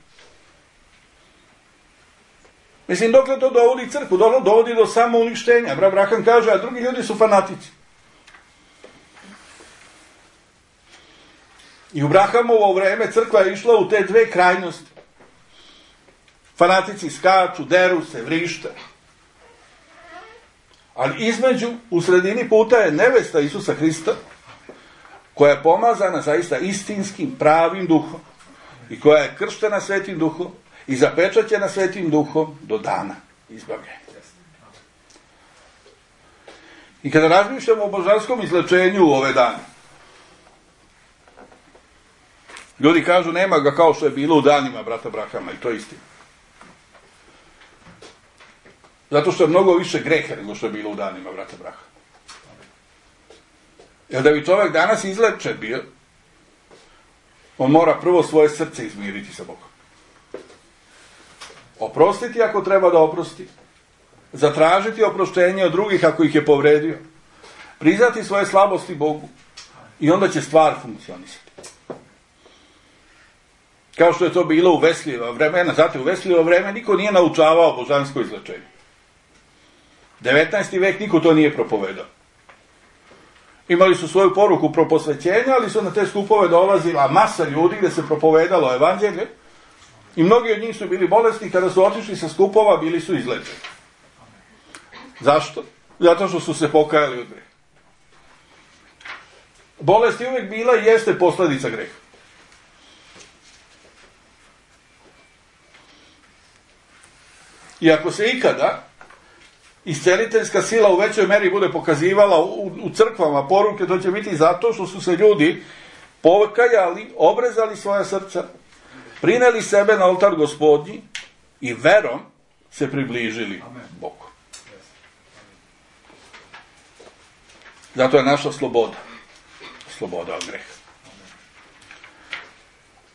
Mislim, dokle to dovodi crkvu, dovodi do samouništenja. Brat Abraham kaže, a drugi ljudi su fanatici. I u Abrahamovo vreme crkva je išla u te dve krajnosti. Fanatici skaču, deru se, vrište. Ali između, u sredini puta je nevesta Isusa Hrista, koja je pomazana zaista istinskim, pravim duhom i koja je krštena Svetim duhom i zapečaćena Svetim duhom do dana izbavljenje. I kada razmišljamo o božanskom izlečenju u ove dane, ljudi kažu nema ga kao što je bilo u danima brata Brahama, i to je istina. Zato što je mnogo više greha nego što je bilo u danima brata Brahama. Jer da bi čovjek danas izlečen bio, on mora prvo svoje srce izmiriti sa Bogom. Oprostiti ako treba da oprosti. Zatražiti oproštenje od drugih ako ih je povredio. Priznati svoje slabosti Bogu. I onda će stvar funkcionisati. Kao što je to bilo u Veslijeva vremena. Znate, u Veslijeva vreme niko nije naučavao božansko izlečenje. devetnaesti vek niko to nije propovedao. Imali su svoju poruku proposvećenja, ali su na te skupove dolazila masa ljudi gdje se propovedalo evanđelje i mnogi od njih su bili bolesni, kada su otišli sa skupova bili su izlečeni. Zašto? Zato što su se pokajali od greha. Bolest je uvijek bila i jeste posljedica greha. I ako se ikada isceliteljska sila u većoj meri bude pokazivala u, u crkvama poruke, to će biti zato što su se ljudi pokajali, obrezali svoja srca, prineli sebe na oltar Gospodnji i verom se približili Bogu. Zato je naša sloboda. Sloboda od greha.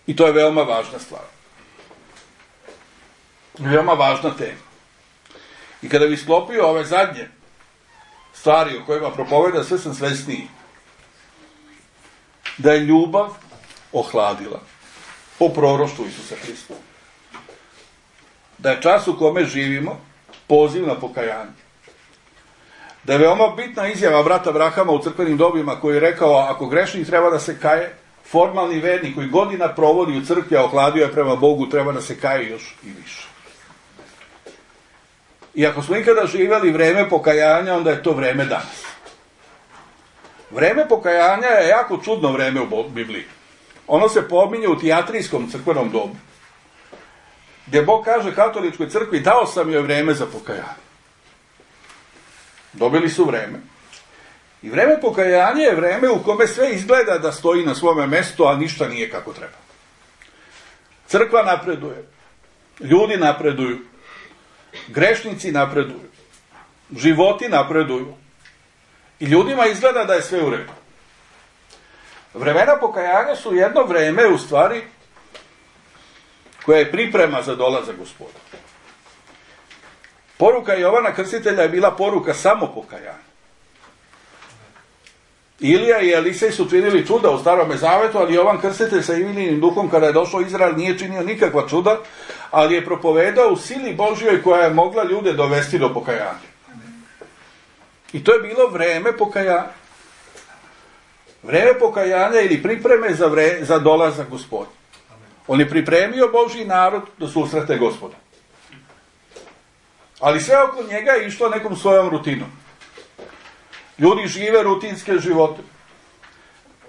I to je veoma važna stvar. Veoma važna tema. I kada bi sklopio ove zadnje stvari o kojima propoveda, sve sam svesniji. Da je ljubav ohladila po proroštvu Isusa Hrista. Da je čas u kome živimo poziv na pokajanje. Da je veoma bitna izjava brata Brahama u crkvenim dobima koji je rekao, ako grešnik treba da se kaje, formalni vernik koji godina provodi u crkvi, a ohladio je prema Bogu, treba da se kaje još i više. I ako smo ikada živjeli vreme pokajanja, onda je to vreme danas. Vreme pokajanja je jako čudno vreme u Bibliji. Ono se pominje u tijatrijskom crkvenom dobu, gdje Bog kaže katoličkoj crkvi, dao sam joj vreme za pokajanje. Dobili su vreme. I vreme pokajanja je vreme u kome sve izgleda da stoji na svome mjestu, a ništa nije kako treba. Crkva napreduje. Ljudi napreduju. Grešnici napreduju. Životi napreduju. I ljudima izgleda da je sve u redu. Vremena pokajanja su jedno vreme, u stvari, koja je priprema za dolazak Gospoda. Poruka Jovana Krstitelja je bila poruka samo pokajanja. Ilija i Elisej su činili čuda u Starome Zavetu, ali Jovan Krstitelj sa Ilijinim duhom, kada je došao Izrael, nije činio nikakva čuda, ali je propovedao u sili Božjoj koja je mogla ljude dovesti do pokajanja. I to je bilo vreme pokajanja. Vreme pokajanja ili pripreme za, vre, za dolazak Gospoda. On je pripremio Božji narod da susrete Gospoda. Ali sve oko njega je išlo nekom svojom rutinom. Ljudi žive rutinske živote.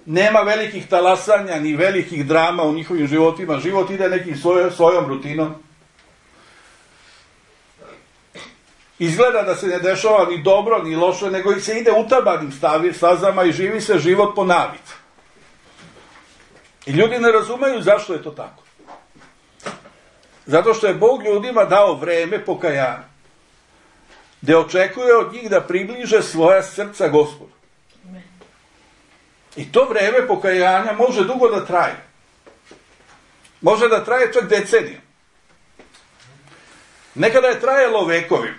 Nema velikih talasanja ni velikih drama u njihovim životima. Život ide nekim svoj, svojom rutinom. Izgleda da se ne dešava ni dobro ni loše, nego se ide utabanim stazama i živi se život po navici. I ljudi ne razumeju zašto je to tako. Zato što je Bog ljudima dao vreme pokajanja, gdje očekuje od njih da približe svoja srca Gospodu. I to vreme pokajanja može dugo da traje. Može da traje čak deceniju. Nekada je trajalo vekovi.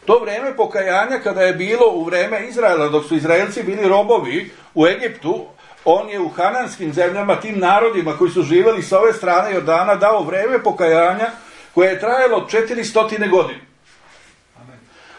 To vreme pokajanja, kada je bilo u vreme Izraela, dok su Izraelci bili robovi u Egiptu, on je u hananskim zemljama, tim narodima koji su živjeli sa ove strane Jordana, dao vreme pokajanja koje je trajalo četiristo godine.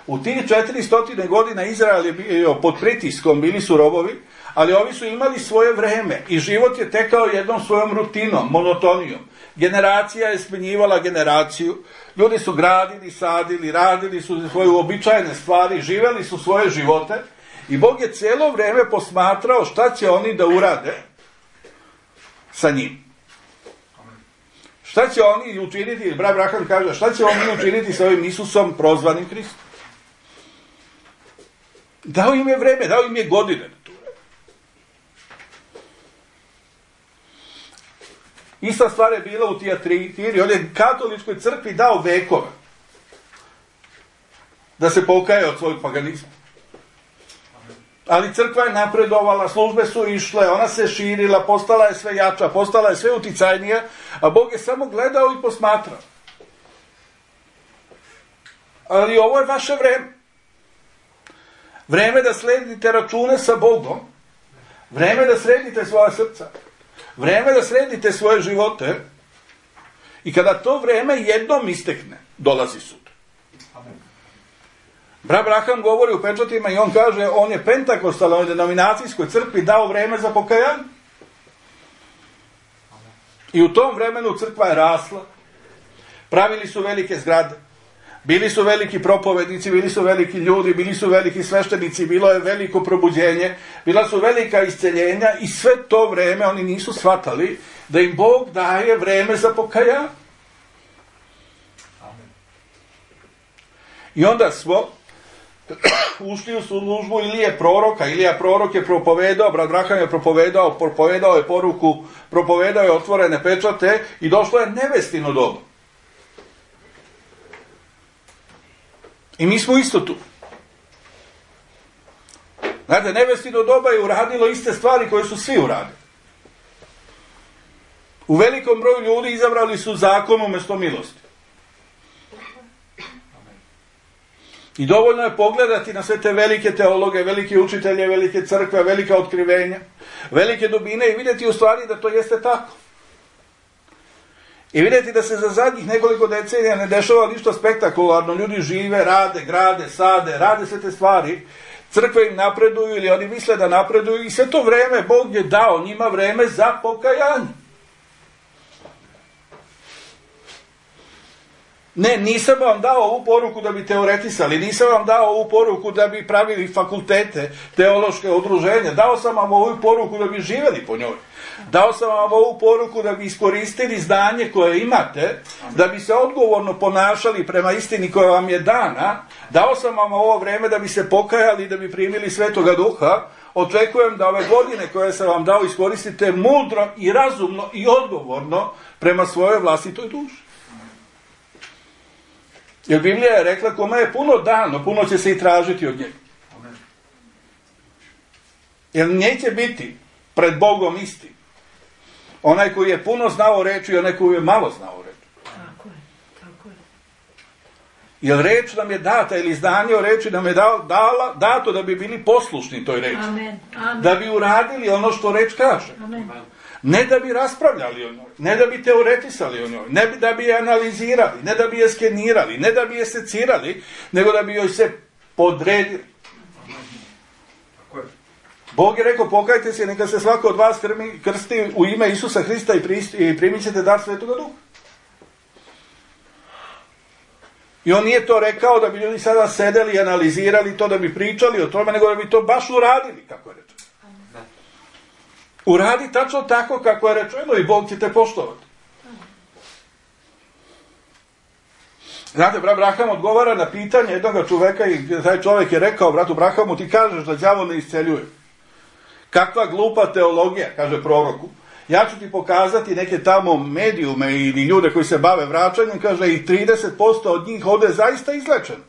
U tih četiristo godina Izrael je bio pod pritiskom, bili su robovi, ali ovi su imali svoje vreme i život je tekao jednom svojom rutinom, monotonijom. Generacija je smenjivala generaciju, ljudi su gradili, sadili, radili su svoje uobičajene stvari, živjeli su svoje živote i Bog je cijelo vrijeme posmatrao šta će oni da urade sa njim. Šta će oni učiniti, brat Abraham kaže, šta će oni učiniti sa ovim Isusom prozvanim Hristom? Dao im je vreme, dao im je godine. Ista stvar je bila u Tijatiri, on je katoličkoj crkvi dao vekove da se pokaje od svojeg paganizma. Ali crkva je napredovala, službe su išle, ona se širila, postala je sve jača, postala je sve uticajnija, a Bog je samo gledao i posmatrao. Ali ovo je vaše vreme. Vreme da sledite račune sa Bogom, vreme da sredite svoja srca, vreme da sredite svoje živote i kada to vreme jednom istekne, dolazi sud. Brat Abraham govori u pečatima i on kaže, on je pentakostalnoj denominacijskoj crkvi dao vreme za pokajanje. I u tom vremenu crkva je rasla, pravili su velike zgrade, bili su veliki propovednici, bili su veliki ljudi, bili su veliki sveštenici, bilo je veliko probuđenje, bila su velika isceljenja i sve to vreme oni nisu shvatali da im Bog daje vreme za pokajanje. I onda smo ušli u službu Ilije proroka. Ilija prorok je propovedao, brat Abraham je propovedao, propovedao je poruku, propovedao je otvorene pečate i došlo je nevestino doba. I mi smo isto tu. Znate, nevestino doba je uradilo iste stvari koje su svi uradili. U velikom broju ljudi izabrali su zakon umjesto milosti. I dovoljno je pogledati na sve te velike teologe, velike učitelje, velike crkve, velika otkrivenja, velike dubine i vidjeti u stvari da to jeste tako. I vidjeti da se za zadnjih nekoliko decenija ne dešava ništa spektakularno. Ljudi žive, rade, grade, sade, rade sve te stvari. Crkve im napreduju ili oni misle da napreduju i sve to vreme Bog je dao njima vreme za pokajanje. Ne, nisam vam dao ovu poruku da bi teoretisali, nisam vam dao ovu poruku da bi pravili fakultete, teološke udruženja, dao sam vam ovu poruku da bi živjeli po njoj. Dao sam vam ovu poruku da bi iskoristili znanje koje imate, da bi se odgovorno ponašali prema istini koja vam je dana. Dao sam vam ovo vreme da bi se pokajali, da bi primili Svetoga Duha. Očekujem da ove godine koje sam vam dao iskoristite mudro i razumno i odgovorno prema svojoj vlastitoj duši. Jer Biblija je rekla, kome je puno dano, puno će se i tražiti od njega. Jer neće biti pred Bogom isti onaj koji je puno znao reći i onaj koji je malo znao reći. Tako je, tako je. Jer reč nam je data, ili znanje o reči nam je dala, dala, dato da bi bili poslušni toj reči. Amen, amen. Da bi uradili ono što reč kaže. Amen. Ne da bi raspravljali o njoj, ne da bi teoretisali o njoj, ne da bi je analizirali, ne da bi je skenirali, ne da bi je secirali, nego da bi joj se podredili. Bog je rekao, pokajte se, neka se svako od vas krsti u ime Isusa Hrista i primit ćete dar Svetoga Duha. I on nije to rekao da bi ljudi sada sedeli i analizirali to, da bi pričali o tome, nego da bi to baš uradili, kako je rečeno. Uradi tačno tako kako je rečeno i Bog će te poštovati. Znate, brat Abraham odgovara na pitanje jednog čoveka i taj čovjek je rekao bratu Abrahamu, ti kažeš da đavo ne isceljuje. Kakva glupa teologija, kaže proroku. Ja ću ti pokazati neke tamo medijume ili ljude koji se bave vraćanjem, kaže i trideset posto od njih ovdje je zaista izlečeno.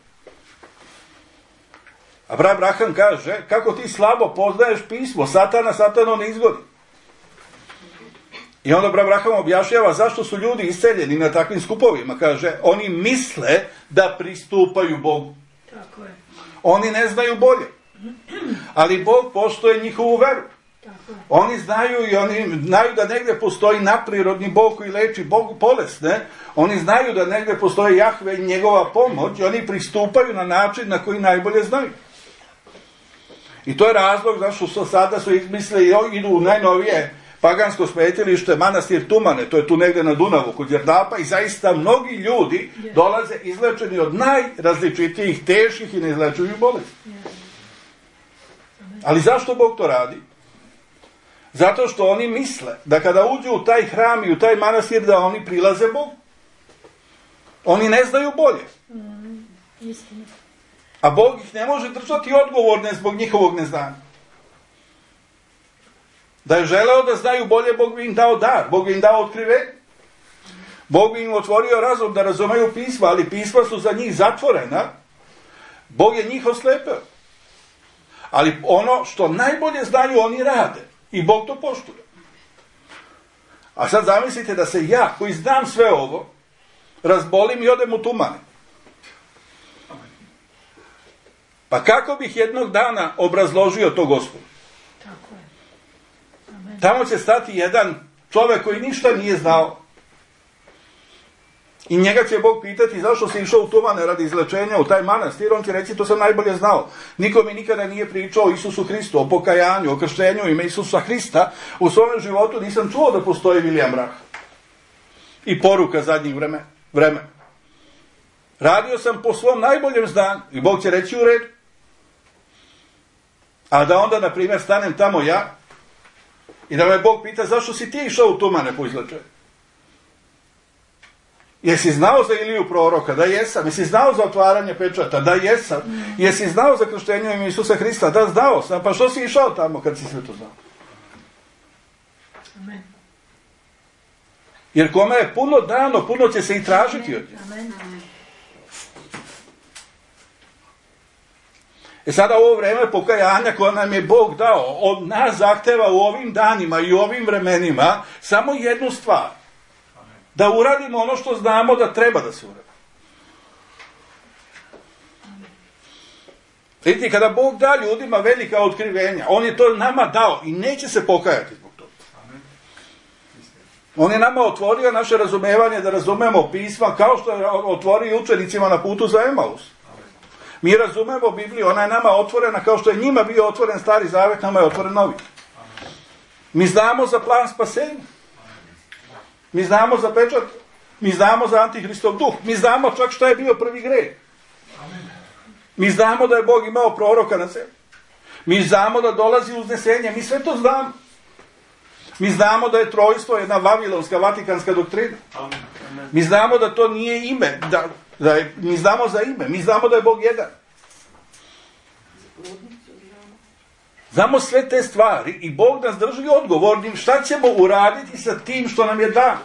A brat Abraham kaže, kako ti slabo poznaješ pismo, satana satano ne izgodi. I onda brat Abraham objašnjava zašto su ljudi isceljeni na takvim skupovima. Kaže, oni misle da pristupaju Bogu. Tako je. Oni ne znaju bolje. Ali Bog poštuje njihovu veru. Tako je. Oni znaju i oni znaju da negdje postoji naprirodni Bog koji leči Bog bolesne. Oni znaju da negdje postoji Jahve i njegova pomoć i oni pristupaju na način na koji najbolje znaju. I to je razlog zašto su sada su izmislili i idu u najnovije pagansko smetilište, manastir Tumane, to je tu negdje na Dunavu kod Đerdapa i zaista mnogi ljudi yes. dolaze izlečeni od najrazličitijih, teških i neizlečivih bolesti. Yes. Ali zašto Bog to radi? Zato što oni misle da kada uđu u taj hram i u taj manastir da oni prilaze Bogu. Oni ne znaju bolje. Mm, istina. A Bog ih ne može držati odgovorne zbog njihovog neznanja. Da je želeo da znaju bolje, Bog bi im dao dar, Bog bi im dao otkrivenje. Bog bi im otvorio razum da razumeju pisma, ali pisma su za njih zatvorena. Bog je njih oslepeo. Ali ono što najbolje znaju, oni rade. I Bog to poštuje. A sad zamislite da se ja, koji znam sve ovo, razbolim i odem u tumane. Pa kako bih jednog dana obrazložio to Gospodu? Tako je. Amen. Tamo će stati jedan čovjek koji ništa nije znao. I njega će Bog pitati zašto si išao u tumane radi izlečenja u taj manastir. On će reći to sam najbolje znao. Niko mi nikada nije pričao o Isusu Hristu, o pokajanju, o krštenju ime Isusa Hrista. U svom životu nisam čuo da postoji William Branham. I poruka zadnjih vremena. vremena. Radio sam po svom najboljem znanju. I Bog će reći u redu. A da onda, na primjer, stanem tamo ja i da me Bog pita zašto si ti išao u tumane po izlečenju? Jesi znao za Iliju proroka? Da jesam. Jesi znao za otvaranje pečata? Da jesam. Jesi znao za krštenje ime Isusa Hrista? Da, znao sam. Pa što si išao tamo kad si sve to znao? Amen. Jer kome je puno dano, puno će se i tražiti od njega. Amen. E sada ovo vrijeme pokajanja koje nam je Bog dao, od nas zahteva u ovim danima i u ovim vremenima samo jednu stvar. Da uradimo ono što znamo da treba da se uradi. Vidite, kada Bog da ljudima velika otkrivenja, On je to nama dao i neće se pokajati zbog toga. On je nama otvorio naše razumevanje da razumemo pisma kao što je otvorio učenicima na putu za Emaus. Mi razumemo Bibliju, ona je nama otvorena kao što je njima bio otvoren Stari Zavet, nama je otvoren Novi. Mi znamo za plan spasenja. Mi znamo za pečat. Mi znamo za Antihristov duh. Mi znamo čak što je bio prvi greh. Mi znamo da je Bog imao proroka na sebi. Mi znamo da dolazi uznesenje. Mi sve to znamo. Mi znamo da je trojstvo jedna vavilonska, vatikanska doktrina. Mi znamo da to nije ime. Da, da je, mi znamo za ime. Mi znamo da je Bog jedan. Znamo sve te stvari i Bog nas drži odgovornim šta ćemo uraditi sa tim što nam je dano.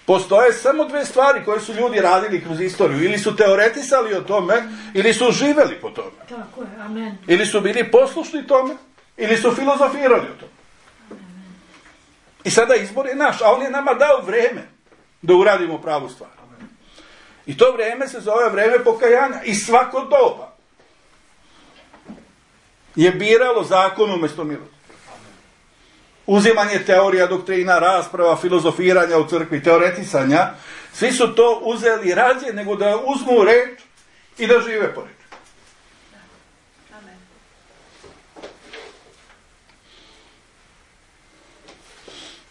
Postoje samo dve stvari koje su ljudi radili kroz istoriju. Ili su teoretisali o tome, ili su živeli po tome. Tako je, amen. Ili su bili poslušni tome, ili su filozofirali o tome. I sada izbor je naš, a On je nama dao vreme da uradimo pravu stvar. I to vrijeme se zove vreme pokajanja. I svako doba je biralo zakon umjesto milosti. Uzimanje teorija, doktrina, rasprava, filozofiranja u crkvi, teoretisanja, svi su to uzeli rađe nego da uzmu reč i da žive po reči.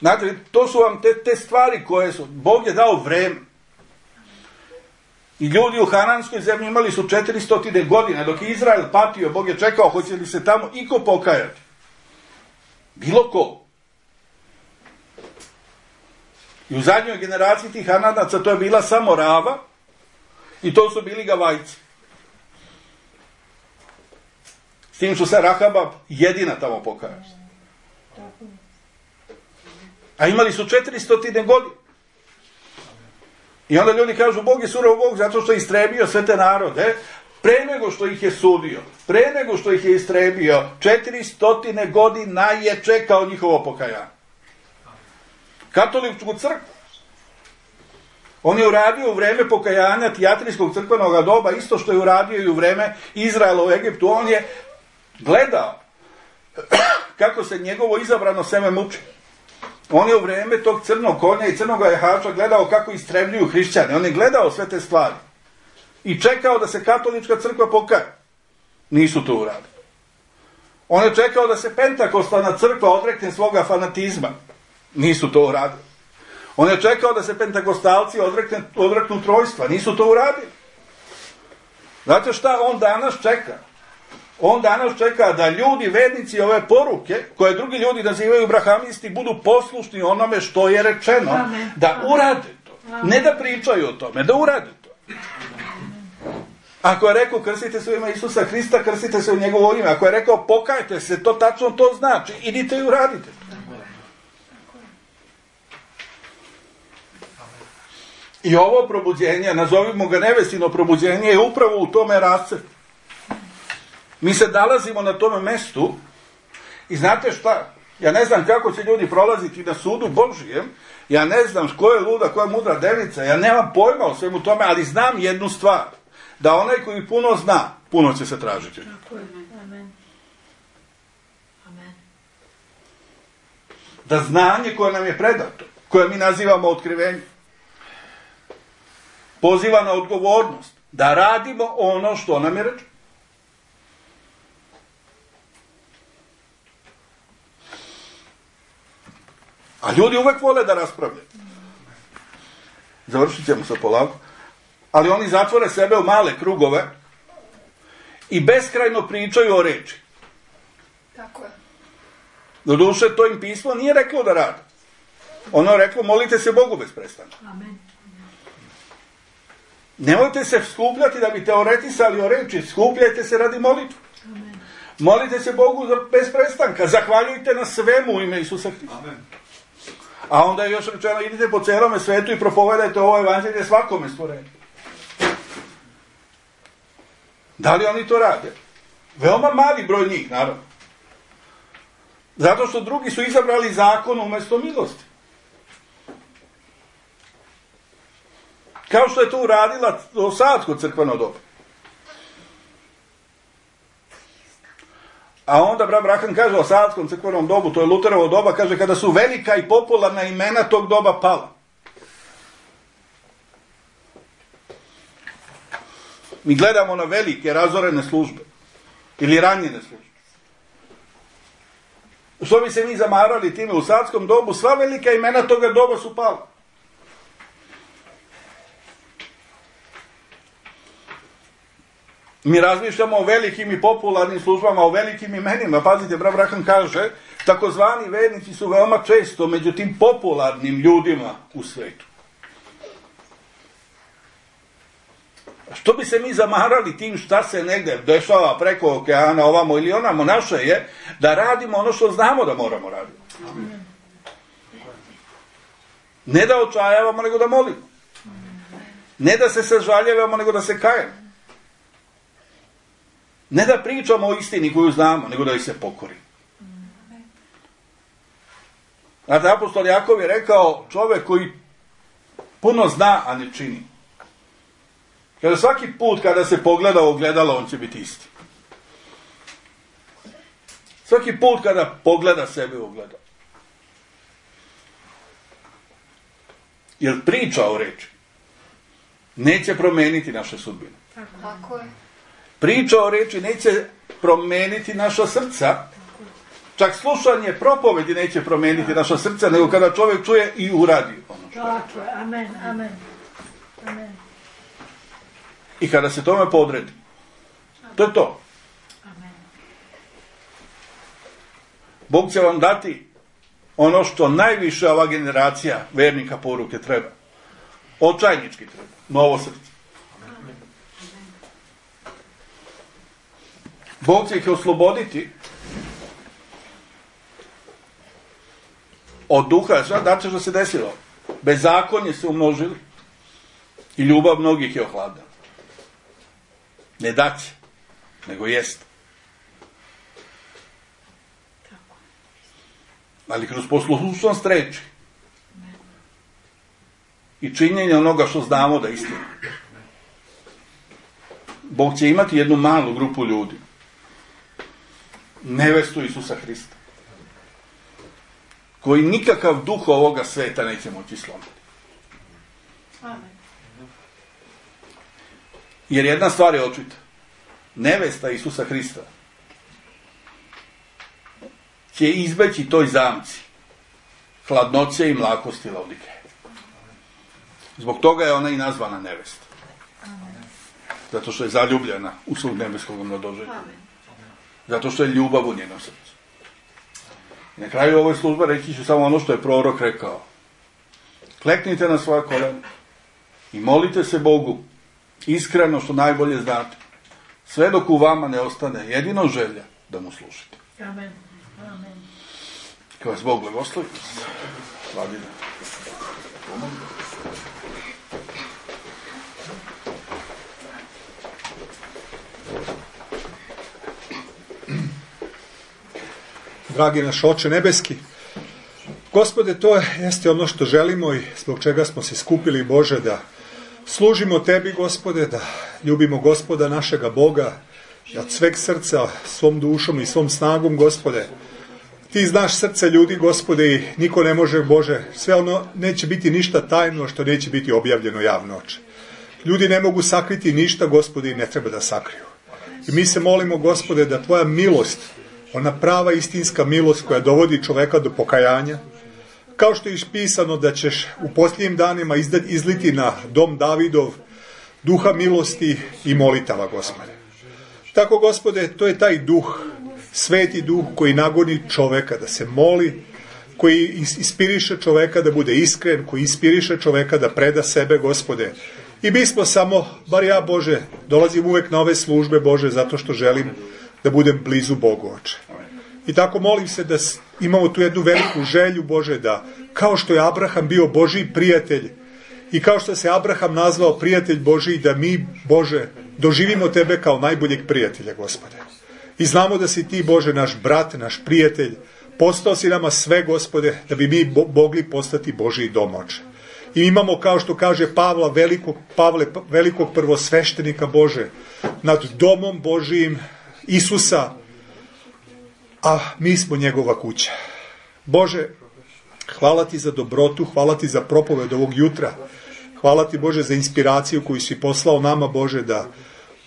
Znate, to su vam te, te stvari koje su, Bog je dao vreme. I ljudi u Hananskoj zemlji imali su četiristo godine, dok je Izrael patio, Bog je čekao, hoće li se tamo iko pokajati. Bilo ko. I u zadnjoj generaciji tih Hananaca to je bila samo Rava i to su bili Gavajci. S tim što se Rahaba jedina tamo pokajala. A imali su četiristo godine. I onda ljudi kažu, Bog je surov Bog zato što je istrebio sve te narode, pre nego što ih je sudio, pre nego što ih je istrebio, četiristo godina je čekao njihovo pokajanje. Katoličku crkvu. On je uradio u vreme pokajanja tijatrijskog crkvenog doba, isto što je uradio i u vreme Izraela u Egiptu. On je gledao kako se njegovo izabrano seme muči. On je u vrijeme tog crnog konja i crnog jahača gledao kako istrebljuju hrišćane. On je gledao sve te stvari. I čekao da se katolička crkva pokaje. Nisu to uradili. On je čekao da se pentakostalna crkva odrekne svoga fanatizma. Nisu to uradili. On je čekao da se pentakostalci odrekne, odreknu trojstva. Nisu to uradili. Znate šta on danas čeka? On danas čeka da ljudi, vernici ove poruke, koje drugi ljudi nazivaju brahamisti, budu poslušni onome što je rečeno, Amen. da urade to. Amen. Ne da pričaju o tome, da urade to. Ako je rekao krstite se u ime Isusa Hrista, krstite se u njegovo ime. Ako je rekao pokajte se, to tačno to znači. Idite i uradite to. I ovo probuđenje, nazovimo ga nevestino probuđenje, je upravo u tome rascepu. Mi se nalazimo na tome mestu i znate šta? Ja ne znam kako će ljudi prolaziti na sudu Božijem, ja ne znam ko je luda, ko je mudra devica, ja nemam pojma o svemu tome, ali znam jednu stvar, da onaj koji puno zna, puno će se tražiti. Tako je. Amen. Amen. Da znanje koje nam je predato, koje mi nazivamo otkrivenjem, poziva na odgovornost, da radimo ono što nam je rečeno. A ljudi uvek vole da raspravljaju. Završit ćemo se polako. Ali oni zatvore sebe u male krugove i beskrajno pričaju o reči. Tako je. Doduše, to im pismo nije reklo da rade. Ono je reklo, molite se Bogu bez prestanka. Amen. Nemojte se skupljati da bi teoretisali o reči, skupljajte se radi molitve. Amen. Molite se Bogu bez prestanka, zahvaljujte na svemu u ime Isusa Hrista. Amen. A onda je još rečeno, idite po celome svetu i propovedajte ovo evanđelje svakome stvorenju. Da li oni to rade? Veoma mali broj njih, naravno. Zato što drugi su izabrali zakon umjesto milosti. Kao što je to uradila Osadsko crkveno doba. A onda brat Braham kaže o Sadskom crkvenom dobu, to je Luterovo doba, kaže kada su velika i popularna imena tog doba pala. Mi gledamo na velike razorene službe ili ranjene službe. Što bi se mi zamarali time u Sadskom dobu, sva velika imena toga doba su pala. Mi razmišljamo o velikim i popularnim službama, o velikim imenima. Pazite, brat Braham kaže, takozvani vernici su veoma često među tim popularnim ljudima u svetu. A što bi se mi zamarali tim šta se negde dešava preko okeana, ovamo ili onamo, naše je da radimo ono što znamo da moramo raditi. Ne da očajavamo, nego da molimo. Ne da se sažaljevamo, nego da se kajemo. Ne da pričamo o istini koju znamo, nego da ih se pokori. Znate, apostol Jakov je rekao, čovjek koji puno zna, a ne čini. Kada svaki put kada se pogleda u ogledalo, on će biti isti. Svaki put kada pogleda sebe u ogledalo. Jer priča o reči neće promeniti naše sudbine. Tako je. Priča o reči neće promeniti naša srca. Čak slušanje propovedi neće promeniti naša srca, nego kada čovjek čuje i uradi ono što je. Tako je. Amen. Amen. Amen. I kada se tome podredi. To je to. Amen. Bog će vam dati ono što najviše ova generacija vernika poruke treba. Očajnički treba. Novo srce. Bog će ih osloboditi od duha. Znate što se desilo? Bezakonje se umnožili i ljubav mnogih je ohladila. Ne daće, nego jest. Ali kroz poslušnost reči i činjenje onoga što znamo da je istina. Bog će imati jednu malu grupu ljudi. Nevestu Isusa Hrista. Koji nikakav duh ovoga sveta neće moći slomiti. Amen. Jer jedna stvar je očita. Nevesta Isusa Hrista će izbeći toj zamci hladnoće i mlakosti Laodikeje. Zbog toga je ona i nazvana nevesta. Zato što je zaljubljena u svog nebeskog mladoženja. Zato što je ljubav u njenom srcu. I na kraju ove službe reći ću samo ono što je prorok rekao. Kleknite na svoja kolena i molite se Bogu iskreno što najbolje znate. Sve dok u vama ne ostane jedino želja da mu služite. Amen. Amen. Kad vas Bog blagoslovi. Slavina. Dragi naš Oče nebeski, Gospode, to jeste ono što želimo i zbog čega smo se skupili, Bože, da služimo Tebi, Gospode, da ljubimo Gospoda našega Boga, da od sveg srca, svom dušom i svom snagom, Gospode. Ti znaš srce ljudi, Gospode, i niko ne može, Bože, sve ono neće biti ništa tajno što neće biti objavljeno javno, Oče. Ljudi ne mogu sakriti ništa, Gospode, i ne treba da sakriju. I mi se molimo, Gospode, da Tvoja milost, ona prava istinska milost koja dovodi čoveka do pokajanja, kao što je pisano da ćeš u posljednjim danima izliti na dom Davidov duha milosti i molitava, Gospode. Tako, Gospode, to je taj duh, sveti duh koji nagoni čoveka da se moli, koji ispiriše čoveka da bude iskren, koji ispiriše čoveka da preda sebe, Gospode. I mi smo samo, bar ja, Bože, dolazim uvek na ove službe, Bože, zato što želim da budem blizu Bogu, Oče. I tako molim se da imamo tu jednu veliku želju, Bože, da kao što je Abraham bio Božji prijatelj i kao što se Abraham nazvao prijatelj Božji, da mi, Bože, doživimo Tebe kao najboljeg prijatelja, Gospode. I znamo da si Ti, Bože, naš brat, naš prijatelj, postao si nama sve, Gospode, da bi mi bo- mogli postati Božji dom, Oče. I imamo, kao što kaže Pavla, velikog, Pavle, velikog prvosveštenika, Bože, nad domom Božijim, Isusa, a mi smo njegova kuća. Bože, hvala Ti za dobrotu, hvala Ti za propoved ovog jutra, hvala Ti, Bože, za inspiraciju koju si poslao nama, Bože, da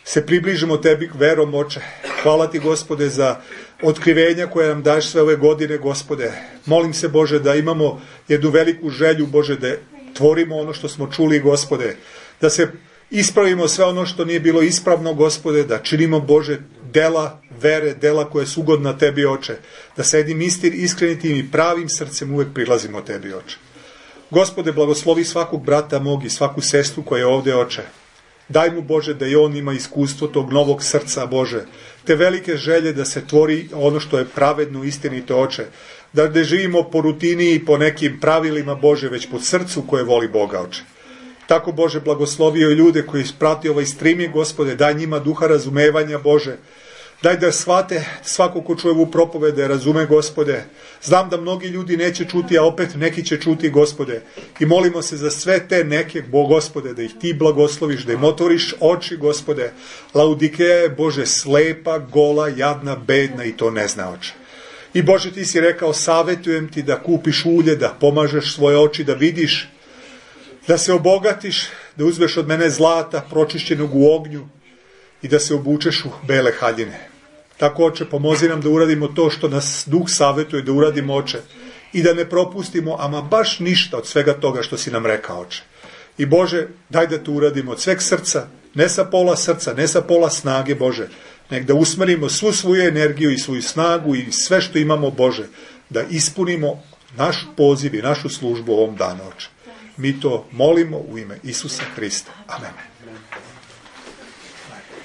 se približimo Tebi verom, Oče. Hvala Ti, Gospode, za otkrivenja koje nam daješ sve ove godine, Gospode. Molim se, Bože, da imamo jednu veliku želju, Bože, da tvorimo ono što smo čuli, Gospode, da se ispravimo sve ono što nije bilo ispravno, Gospode, da činimo, Bože, dela vere, dela koje su ugodna Tebi, Oče, da sa jednim istin, iskrenitim i pravim srcem uvek prilazimo Tebi, Oče. Gospode, blagoslovi svakog brata mog i svaku sestru koja je ovde, Oče. Daj mu, Bože, da i on ima iskustvo tog novog srca, Bože, te velike želje da se tvori ono što je pravedno, istinito, Oče, da ne živimo po rutini i po nekim pravilima, Bože, već po srcu koje voli Boga, Oče. Tako, Bože, blagoslovio i ljude koji prati ovaj streaming, Gospode, daj njima duha razumevanja, Bože. Daj da shvate svako ko čuje ovu propoved, da je razume, Gospode. Znam da mnogi ljudi neće čuti, a opet neki će čuti, Gospode. I molimo se za sve te neke, Gospode, da ih Ti blagosloviš, da im otvoriš oči, Gospode. Laudikeja je, Bože, slepa, gola, jadna, bedna i to ne zna, Oče. I, Bože, Ti si rekao, savetujem Ti da kupiš ulje, da pomažeš svoje oči, da vidiš, da se obogatiš, da uzmeš od mene zlata pročišćenog u ognju i da se obučeš u bele haljine. Tako, Oče, pomozi nam da uradimo to što nas Duh savetuje da uradimo, Oče, i da ne propustimo ama baš ništa od svega toga što si nam rekao, Oče. I, Bože, daj da to uradimo od sveg srca, ne sa pola srca, ne sa pola snage, Bože, nek da usmerimo svu svoju energiju i svoju snagu i sve što imamo, Bože, da ispunimo naš poziv i našu službu ovom danu, Oče. Mi to molimo u ime Isusa Hrista. Amen.